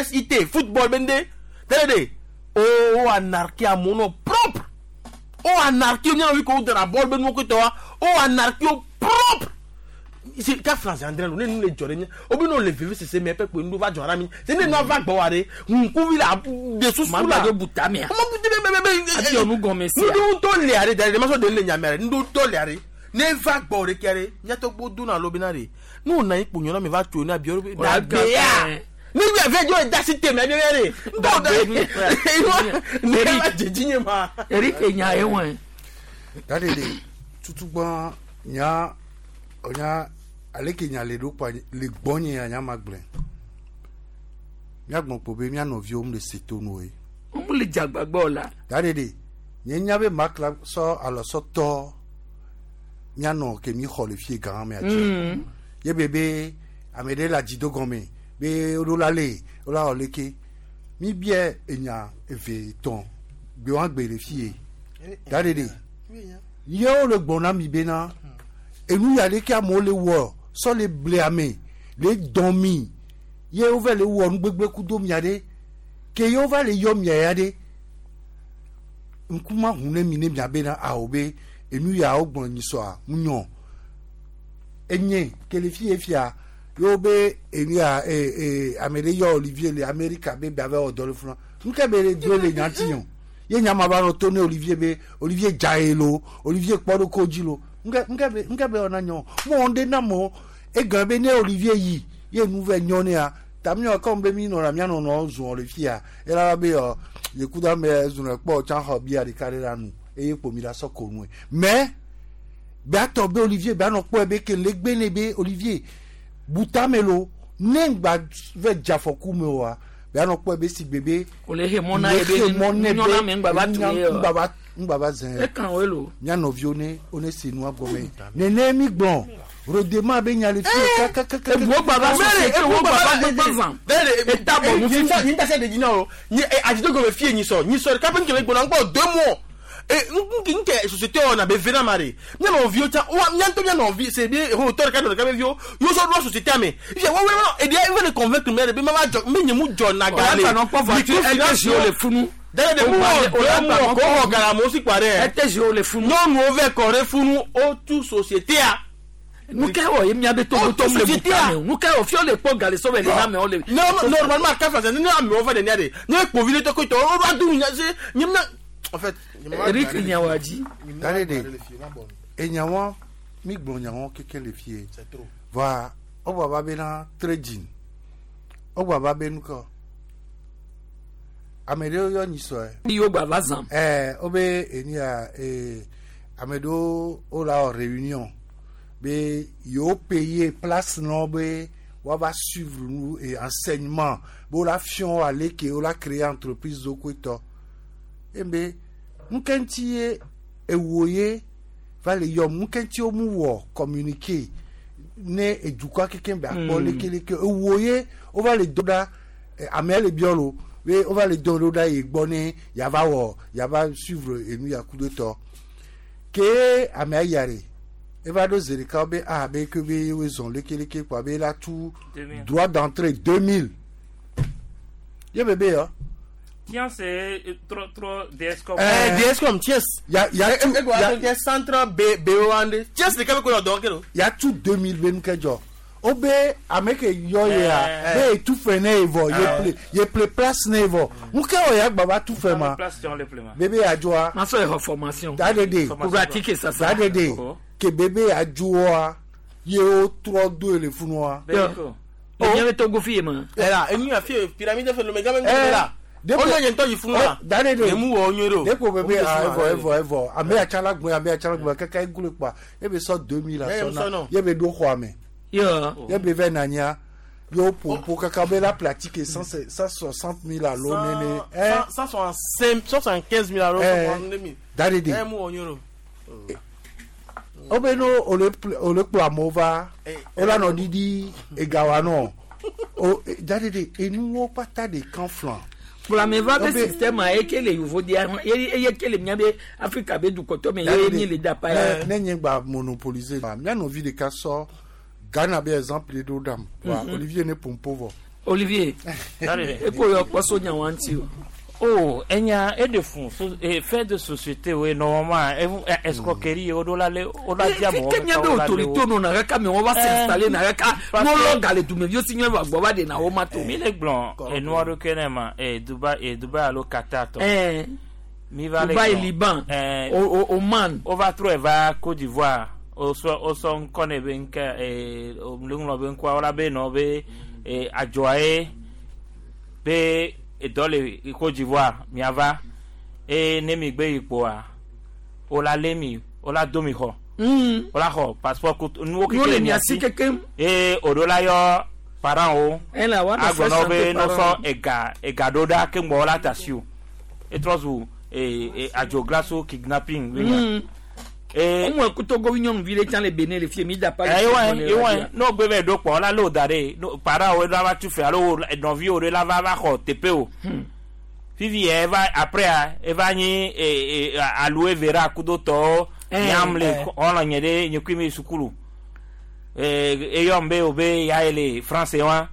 SIT football be ŋde tɛlɛ de o anarchie amewo nɔ propre o anarchie mía nɔvi ko wo dana bɔl be nuwo ko tɔ wa o anarchie o propre se ka France andre lo ne nu le dzɔ ɖe mía o be n'o le veve sese mɛ pɛpɛ nu va dzɔ ɖe mi se ne nua va gbɔ wa ɖe ŋkuvi la de susu
Ma
la
gba do buta mea.
ma buta mɛ mɛ mɛ
Ati ɔnu gɔmɛ sia.
nuɖo tɔ lia ɖe da ɖe ma sɔ de le nyamea ɖe nuɖo tɔ lia ɖe ne va gbɔ ɖe kia ɖe míatɔ gbo do na lo bena ɖe ne wòna yi kpo nyɔna mi va tso ne abiɔ ɖe
Wòla
dagbea
gã-
ne mi avɛ dzɔ da si te mɛ abiɔ ɖe ntɔ da ne va dzedzi nye ma.
Eric nya ye wɔn.
Dade de tutugbɔn nya nya ale ke nya le ɖo kpa le gbɔnye ya nya ma gblẽ. Míagblɔ kpo be mía nɔviwo mu le se to nu ye.
Mu le dzagbagba la.
Dade de nye nya be makla sɔ alɔ sɔ tɔ míanɔ ke mi xɔ le fie gã mea dzi. Ye be be ame ɖe le adzido gɔme be woɖo la le wo la wɔ leke mi biɛ enya eve etɔ̃ gbe wa gbe le fie. Dade de yewo le gbɔ na mi bena enu ya ɖeke amewo le wɔ sɔ le ble ame le dɔn mi ye wova le wɔ nugbegbe kudo mia ɖe ke ye wova le yɔ mia ya ɖe ŋkuma hu ne mi ne mia bena awo be enu ya wo gblɔ nyisɔa mu nyɔ enye ke le fie fia yewo be enu ya ee ee ame ɖe yɔ Olivier le Amerika be bia va wɔ dɔ le funa nuke be le do le nya ti yɔ ye nya ma va nɔ to ne Olivier be Olivier dza ye lo Olivier kpɔ ɖo ko dzi lo nuke nuke be nuke be wɔna nyɔ mɔ ɖe na mɔ egã be ne Olivier yi ye nu vɛ nyɔ nea tamiɔ kɔm be mi nɔna mia nɔnɔ zɔn le fia ela be yɔ yekuda me zɔn kpɔ tsã xɔ bia ɖeka ɖe la nu eye kpo mi la sɔ ko nue mais beatɔ be Olivier beanɔ kpɔe be ke le gbe ne be Olivier butame lo ne ŋgba vɛ dzafɔku me oa beanɔ kpɔe be si gbe be
O le he mɔ na ye be
le he mɔ ne be
nyɔna me ŋgba va tu ye
ŋgba va ŋgba va zẽ
Ekan wo lo.
mía nɔviwo ne wo ne se nua gɔme nene mi gblɔ rodema be nya le fie kakakaka
Ebuwo gba va société wo gba va gbegbe zã. Eta bɔ nu fifi.
Nyi ta se de dzi na o nyi adzido gɔme fie nyisɔ nyisɔ ɖeka ƒe nkele gbɔna ŋkpɔ 2 mois e nke nke société wɔna be ve na ma de mía nɔviwo tsã wa mía ŋutɔ mía nɔvi se be ho tɔ ɖeka nɔ ɖeka be viwo yewo sɔ ɖo société me fifia wo wo eɖia eve le convaincre mɛ de be ma va dzɔ me nye mu dzɔ na ga le
O la gba nɔ kpɔ voiture LTG le funu.
dede de mu wɔ 2 mois ko xɔ ga la amewo si kpa ɖe
LTG le funu.
nyɔnuwo vɛ kɔ ɖe funu o tu société a.
Nu ke wɔ ye mía be togotɔ mu le buta me o. Nu ke wɔ fiɔ le kpɔ gali sɔ bɛ le na amewo le.
Non, normalement, quand ça, ne amewo va ɖe de ne kpovi ɖe tɔkɔ tɔ o va du nya se nye mna en fait.
Eric Nyawadji.
Dade de enyawo mi gblɔ nyawo keke le fie va wogba va bena trading wogba va be nukɔ ame ɖewo yɔ nyisɔe.
Yewo gba va zã.
Ɛɛ wobe enu ya ee ame ɖewo wo la wɔ réunion be yewo payer place nɔ be woava suivre nu et enseignement be wo la fiɔ wo ale ke wo la créer entreprise do koetɔ ebe nuke ŋuti ye ewo ye va le yɔm nuke ŋuti wo mu wɔ communiquer ne edukɔa kekem be akpɔ lekeleke ewo ye wova le do ɖa amea le biɔ lo be wova le do ɖo ɖa yi gbɔ ne yava wɔ yava suivre enu ya ku ɖe tɔ ke amea yia ɖe eva ɖo zi ɖeka be ah be ke be yewoe zɔn lekeleke kpoa be la tu droit d'entrée 2000 ye bebe yɔ.
Tiens, c'est trop, trop DSCOM.
DSCOM, tiens.
Ya, ya,
tu, ya, centre B, B, O, N, tiens, c'est quand même qu'on a
Ya tu 2000 be nuke dzɔ. O be ame ke yɔ ye ya, be etu fɛ ne ye vɔ, ye ple, ye ple place ne ye vɔ. Nuke wɔ ya gba va tu fɛ ma. Bebe ya dzɔa.
Ma sɔ exɔ formation.
Da de de.
Pratique sasa.
Da de de. Ke bebe ya dzɔa, ye wo trɔ do le funua.
Le nye be Togo fi ye ma.
Ela, enu ya fi pyramide fɛ le mɛ game la. Wo nye ŋutɔ yi funu la.
Dane de.
Nye mu wɔ nyuie ɖo.
Ɖeko bebe
Wo
ah
mu
evɔ
le
evɔ evɔ. Ame ya la gbɔe ame ya la gbɔe kaka eglo kpa. Ebe sɔ 2000 la
Ye
sɔ
sɔ
na.
nɔ.
Ye be ɖo xɔa me.
Yo.
Ye be vɛ nanya. Yo popo kaka be la pratique 160 000 alo nene. Eh.
175 000 alo
Eh.
162 000.
Dane de.
Eh, mu wɔ nyuie ɖo.
O be no ole ole kplɔ amewo va. O la nɔ ɖiɖi egawa nɔ. O dane de enuwo kpata de kan flan.
Kplɔame va be
O be-
système a eke le yovo dia eye ke le mía be Afrika be dukɔtɔ me ye mi le dapa ya.
Ne nye gba monopoliser ba mía nɔvi ɖeka sɔ Ghana be exemple ɖo ɖam. Wa Olivier ne pompo vɔ.
Olivier eko yɔ kpɔ so nya wa ŋuti o.
Oh, enya eɖe fun so fait de société we normalement escroquerie wo ɖo la le wo la di amewo
Ke mía be autorité nɔ kaka me wɔn va s'installer na kaka n'olɔ gale dumeviwo si nyɔ va gbɔ va de na wo ma to.
Mi le gblɔ enua ɖo ke ne ma Dubai Dubai alo Qatar tɔ.
Eh.
Mi va le
Dubai,
gblɔ.
Liban, Oman.
O va trɔe va Côte d'Ivoire. O sɔ o sɔ ŋkɔ ne be ŋkɛ o le ŋlɔ be ŋkɔa wola be nɔ be adzɔa ye be edɔ le Côte d'Ivoire miava eye ne mi gbe yi kpoa o la lé mi o la do mi xɔ. O la xɔ passeport ko nuwo
Nuwo
keke
le
le
mia
mia
si
si.
kekem.
Eye o ɖo la yɔ parents wo.
Ela wa nɔ
Agblɔ na wo be
fɛn
ne sɔ ega ega ɖo ɖa ke ŋgbɔ la ta si o. Etrɔ zu adzoglaso kidnapping. be nya.
Ŋu eku Togo nyɔnuvi ɖe tsã le Benin le fie mi da pa.
Ewa ewa n'o gbe vɛ ɖo kpɔ la lé o da ɖe no parents wo la va tu fɛ alo wo nɔviwo ɖe la va va xɔ teƒe o. Fifi yɛ eva après eva nyi aloe vera kudo tɔwo nyam le xɔlɔ̃ nye ɖe nye kui mi sukulu. Eyɔm be o be ya ye le France wa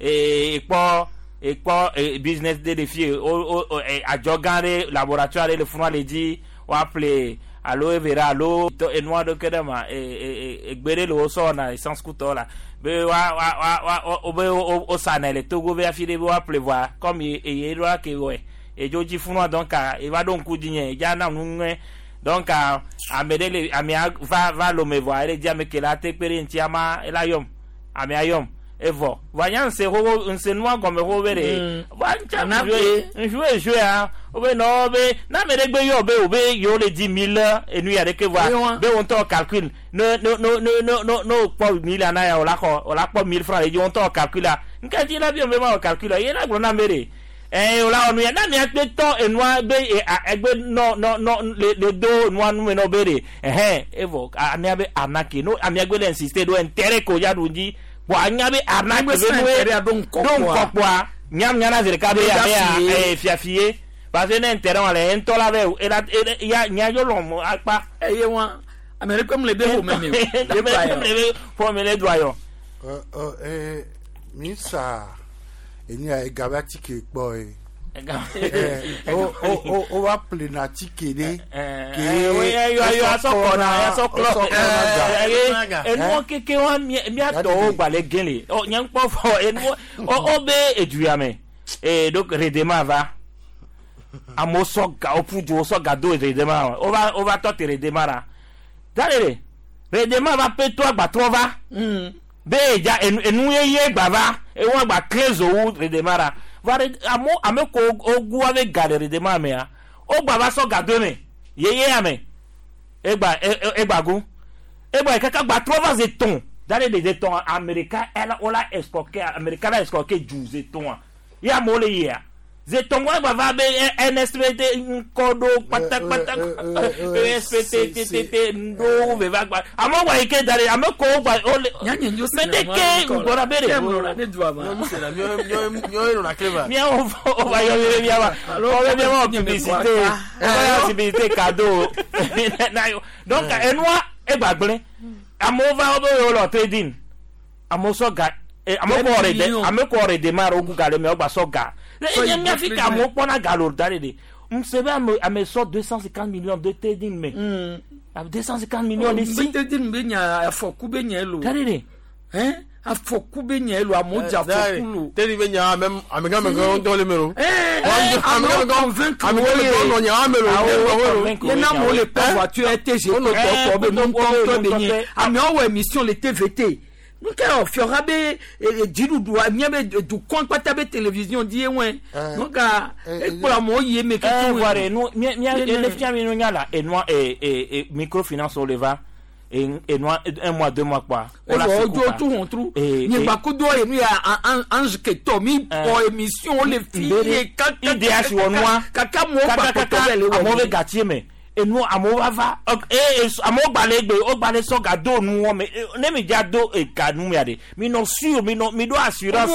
ekpɔ ekpɔ business ɖe le fie o o adzɔ gã ɖe laboratoire ɖe le funua le dzi woaƒle aloe vera alo tɔ enua ɖe ke ɖe ma egbe ɖe le wo sɔ wɔna essence kutɔ la be wa wa wa wa wo be wo wo sanɛ le Togo be afi ɖe be woaƒle vɔa comme eye ɖo la ke wɔe edzo dzi funua donc eva ɖo ŋku dzi nye edza na nu ŋue donc ame ɖe le amea va va lome vɔa ele dzi ame ke la te kpe ɖe ŋuti ama ela yɔm amea yɔm evɔ vɔa nya ŋse xoxo ŋse nua gɔme xoxo be ɖe vɔa ŋtsa ŋsu ŋsu ya wo be nɔ be na ame ɖe gbe yɔ be wo be yewo le di mille enu ya ɖeke vɔa be wo ŋutɔ calcul ne ne ne ne ne ne ne wo kpɔ mille na ya o la xɔ o la kpɔ 1000 francs le dzi wo ŋutɔ calcul la ŋka dzi la bi be ma wɔ calcul la ye la gblɔ na ame ɖe o la wɔ nu ya na mia kpe tɔ enua be egbe nɔ nɔ nɔ le le do nua nume nɔ be ɖe ɛhɛn evɔ amea be arnaque no amea gbe le insister ɖo intérêt ko ya ɖu dzi bɔn anya be arnaque be nue ɖo ŋkɔ kpoa nyam nyana zi ɖeka be amea fiafie parce que ne intérêt wa le ŋutɔ la be ela ya nya yɔ lɔm akpa.
Eye wa ame ɖe kpem le be ƒome me o.
Ame ɖe kpem le be ƒome le doa yɔ.
Mi sa enu ya ega be atike kpɔ ye. O va ƒle na atike ɖe.
Enuwo keke wa miatɔwo gba le gẽ le nye ŋkpɔ fɔ enuwo o be edu ya me donc redema va amewo sɔ ga woƒu du wo sɔ ga do redema o va o va tɔ te redema la da ɖe redema va pe to agbatrɔ va be edza enu yeye gba va ewo agba kle zowu redema la va amewo ame ko wogu ave ga le redema mea wo gba va sɔ ga do eme yeye ame egba egba gu egba yi kaka gba trɔ va zetɔn da ɖe le zetɔn amerika ɛla wo la escroquer amerika la escroquer du zetɔn ye amewo le yia zetɔn wa gba va be NSPT ŋkɔ ɖo kpatakpata ESPT TTT ŋɖo veva gba amewo gba yi ke da ɖe ame ko wo gba wo le mɛ de ke ŋgbɔna be de miawo o va yɔ mi miawa o bɛ miawa publicité o va yɔ publicité cadeau donc enua egba gblẽ amewo va wo be yewo le trading amewo sɔ ga ame ko redemar wo gu ga le mɛ wo gba sɔ ga enye mia fi ka amewo kpɔna ga lo da de de n se be ame ame sɔ 250 millions de trading mɛ 250 millions de si.
trading be nya afɔku be nya elo.
da de de.
Afɔku be nya elo amewo dze afɔku lo.
Trading be nya même amegã megã ŋutɔ le me lo.
Amewo convaincre
wo ye nɔ nya ame lo.
Ye na amewo le kpɔ voiture TG tɔtɔ be nu ŋutɔŋutɔ be nye amewo wɔ émission le TVT. Nke o fiɔha be dziɖuɖua miabe dukɔ kpata be télévision di ye wɛ. Donc ekplɔ amewo yi eme
keke. Voa ɖe nu mia mia ne fia mi nu nya la enua microfinance wo le va enua un mois deux mois kpoa.
Evɔ wodzo tu hɔntru. Nye gbakudo ye nu ya Ange Ketɔ mi kpɔ émission wo le fi ye kaka.
IDH wɔ nua.
Kaka amewo gba kpɔtɔ bɛ le wɔ.
Amewo be gati me. Enu amewo va va amewo gba le egbe wo gba le sɔ ga do nu wɔ me ne mi dza do ega nu mia de mi nɔ sûr mi nɔ mi do assurance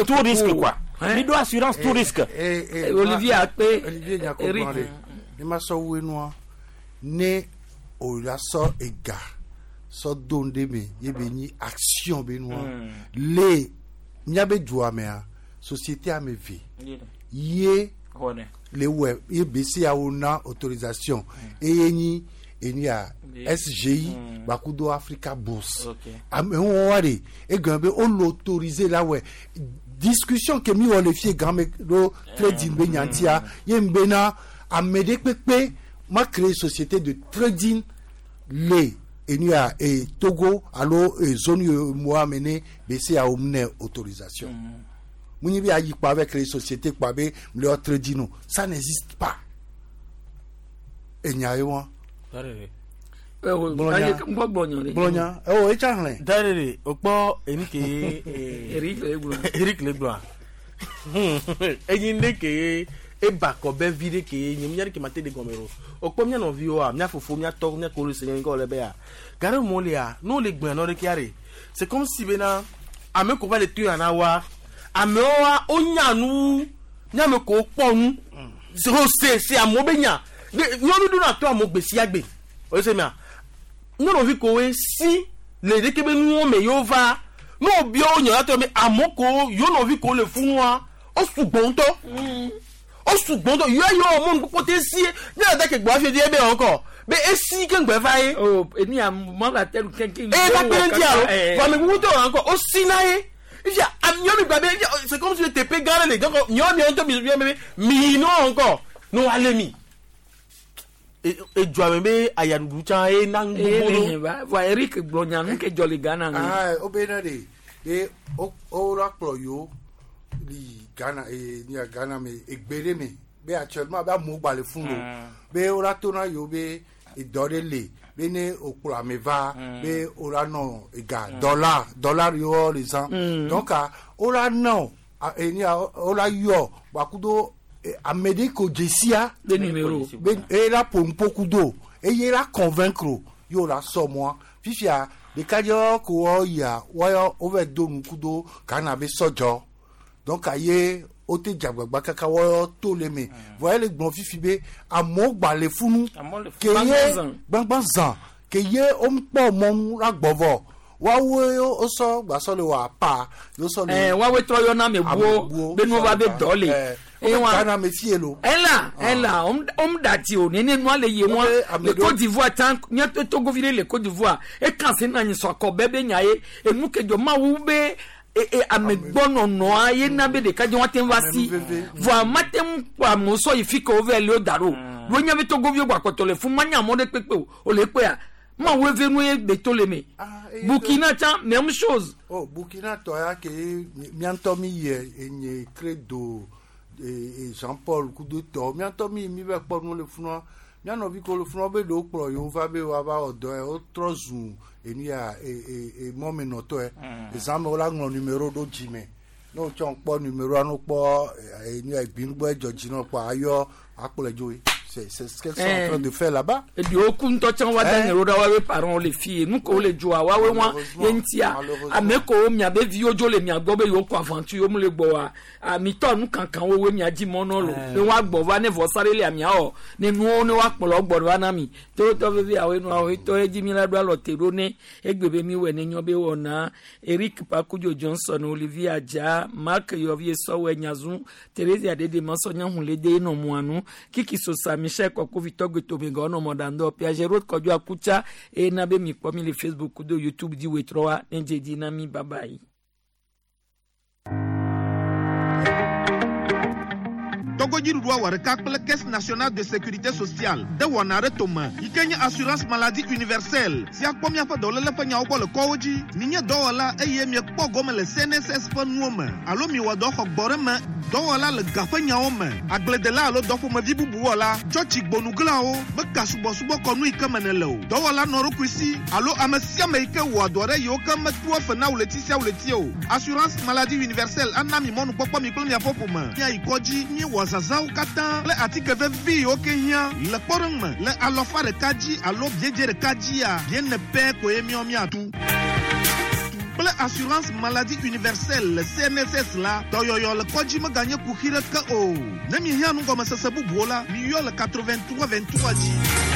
tout risque quoi mi do assurance tout risque.
Olivier Akpe
Olivier Nyako de ne ma sɔ wu enua ne o la sɔ ega sɔ do ŋɖe me ye be nyi action be nua le miabe dua mea société ame ve ye le wɛ ye BCEAO na autorisation eye nyi enu ya SGI bakudo Africa Bourse amewo wa de egɔme be wo le autorisé la wɛ discussion ke mi wɔ le fie game ɖo trading be nyantia ye n bena ame ɖe kpekpe ma créer société de trading le enu ya e Togo alo e zone UEMOA me ne BCEAO ne autorisation. Munyi bi ayi kpa avec les sociétés kpa be le trading no ça n'existe pas. Enya ye wa. Gblɔnya ewo etsa hlẽ.
Darere o kpɔ enu ke
Eric le gblɔ.
Eric le gblɔa. Enyi ne ke eba kɔ bɛ vi ɖe ke nye mía ɖe ke ma te de gɔme o. O kpɔ mía nɔviwoa mía fofo mía tɔ mía kolo se nye ŋkɔ le be ya. Gare mo lia n'o le gbɔnya nɔ ɖe kia re. C'est comme si bena ame ko va le to yana wa amewoa wonya nu nyame ko kpɔ nu o se se amewo be nya nyɔnu ɖo na to amewo gbe sia gbe o se mia nyɔnuvi ko we si le ɖeke be nuwo me yewo va ne wo bia wo nyɔ la tɔ be amewo ko yewo nɔvi ko le funua o sugbɔ ŋutɔ o sugbɔ ŋutɔ yɔ yɔ mɔnu kpɔkpɔ te si ne la da ke gbɔ afi di ebe wɔn kɔ be esi ke ŋgbɛ va ye.
O eni amɔ la tɛ lu kɛnkɛn.
Ee la kpe ŋuti alo vɔ ame kuku tɔ wɔn kɔ o si na ye. C'est comme si le TP gars les gars mi non encore nous allez mi et tu as même ayadudu tcha et nang
bodo va Eric Blonya nu ke joli Ghana
ah obena de de o la kplo yo li Ghana e ni Ghana me egbere me be actuellement ba mo gba le fun lo be o la tona yo be e dore le be ne okplo ameva be ora no ega dollar dollar yo les ans donc ora no eni ora yo bakudo amede ko jesia
de numéro
be era pompo kudo e yera convaincre yo la so moi fifia de kajo ko ya wa over do nukudo kana be sojo donc aye o te jagbagba kaka wɔ to le me voyez le gbɔn fifi be amewo gba le funu ke ye gbangban zan ke ye o kpɔ mɔnu la gbɔvɔ woawoe wosɔ gbasɔ le wɔ apa wosɔ le.
Woawoe trɔ yɔna ame buwo be nuwo va be dɔ le.
Ghana me fie lo.
Ela ela om dati o nene nua le ye wa le Côte d'Ivoire tan nye Togo vi ɖe le Côte d'Ivoire ekan se na nyi sɔ akɔ bɛɛ be nya ye enu ke dzɔ mawu be amegbɔnɔnɔa ye na be ɖeka dze woate va si vɔa mate ŋu kpɔ amewo sɔ yi fi ke wova le wo da ɖo wo nya be Togoviwo gbɔ akpɔtɔ le fún manya amewo ɖe kpekpe o o le kpea mawu eve nu ye gbe to le me Burkina tsã même chose.
Oh Burkina tɔ ya ke mía ŋutɔ mi yɛ enye credo Jean Paul kudo tɔ mía ŋutɔ mi mi bɛ kpɔ nu le funua mía nɔvi ko le funua be ɖewo kplɔ yewo va be woava wɔ dɔ yɛ wotrɔ zu enu ya mɔmenɔtɔe ezãme wola ŋlɔ numéro ɖo dzime ne wotsɔ kpɔ numéroa ne wokpɔ enu ya gbinugbɔ edzɔ dzi ne wokpɔ ayɔ akplɔe dzoe. C'est ce qu'elles sont en train de faire là-bas.
Et puis au coup ntɔ tsã wa da nye ɖo ɖa wa be parents le fi nu ko le dzoa wa we wa ye ŋutia ame ko miabe viwo dzo le mia gbɔ be yewo kɔ aventure yewo mu le gbɔ wa amitɔ nu kankan wo we mia dzi mɔ nɔ lo ne wa gbɔ va ne vɔsa ɖe le amia wɔ ne nuwo ne wa kplɔ gbɔ va na mi tolotɔ vevi awo nu awo tɔ edzi mi la ɖo alɔ te ɖo ne egbe be mi wɔ ne nyɔ be wɔna Eric Pakudzo Johnson Olivier Adja Marc Yɔvie Sɔwɛ Nyazu Therese Adede Masɔ Nyahunle de nɔ muanu Kiki Sosa Michel Kɔkɔvi Tɔgbe Tomegɔ nɔ mɔɖaŋdɔ Piaget Road Kɔdzo Akutsa eye na be mi kpɔ mi le Facebook kudo YouTube dzi wetrɔwa ne dze dzi na mi bye bye.
Togodziɖuɖua wɔ ɖeka kple Caisse nationale de sécurité sociale de wɔna ɖe tome yi ke nye assurance maladie universelle si akpɔ miaƒe dɔléle ƒe nyawo gbɔ le kɔwo dzi. Minye dɔwɔla eye miekpɔ gome le CNSS ƒe nuwo me alo miwɔ dɔ xɔ gbɔ ɖe me dɔwɔla le ga ƒe nyawo me, agbledela alo dɔƒomevi bubu wɔla, tsɔtsi gbonuglawo, meka subɔsubɔ kɔnu yi ke me nèle o, dɔwɔla nɔ ɖokui si alo ame sia ame yi ke wɔa dɔ ɖe yiwo ke metua fe na ɣleti sia ɣleti o. Assurance maladie universelle ana mi mɔnukpɔkpɔ mi kple miaƒe ƒome miayi kɔdzi miewɔ zazãwo katã kple atike vevi yiwo ke hiã. Le kpɔɖeŋu me, le alɔfa ɖeka dzi alo biedze ɖeka dzia, biene pɛ koe míawo míatu. Kple assurance maladie universelle le CNSS la, dɔyɔyɔ le kɔdzi meganye kuxi ɖeke o. Ne miehiã nugɔmesese bubuwo la, miyɔ le 83 23 dzi.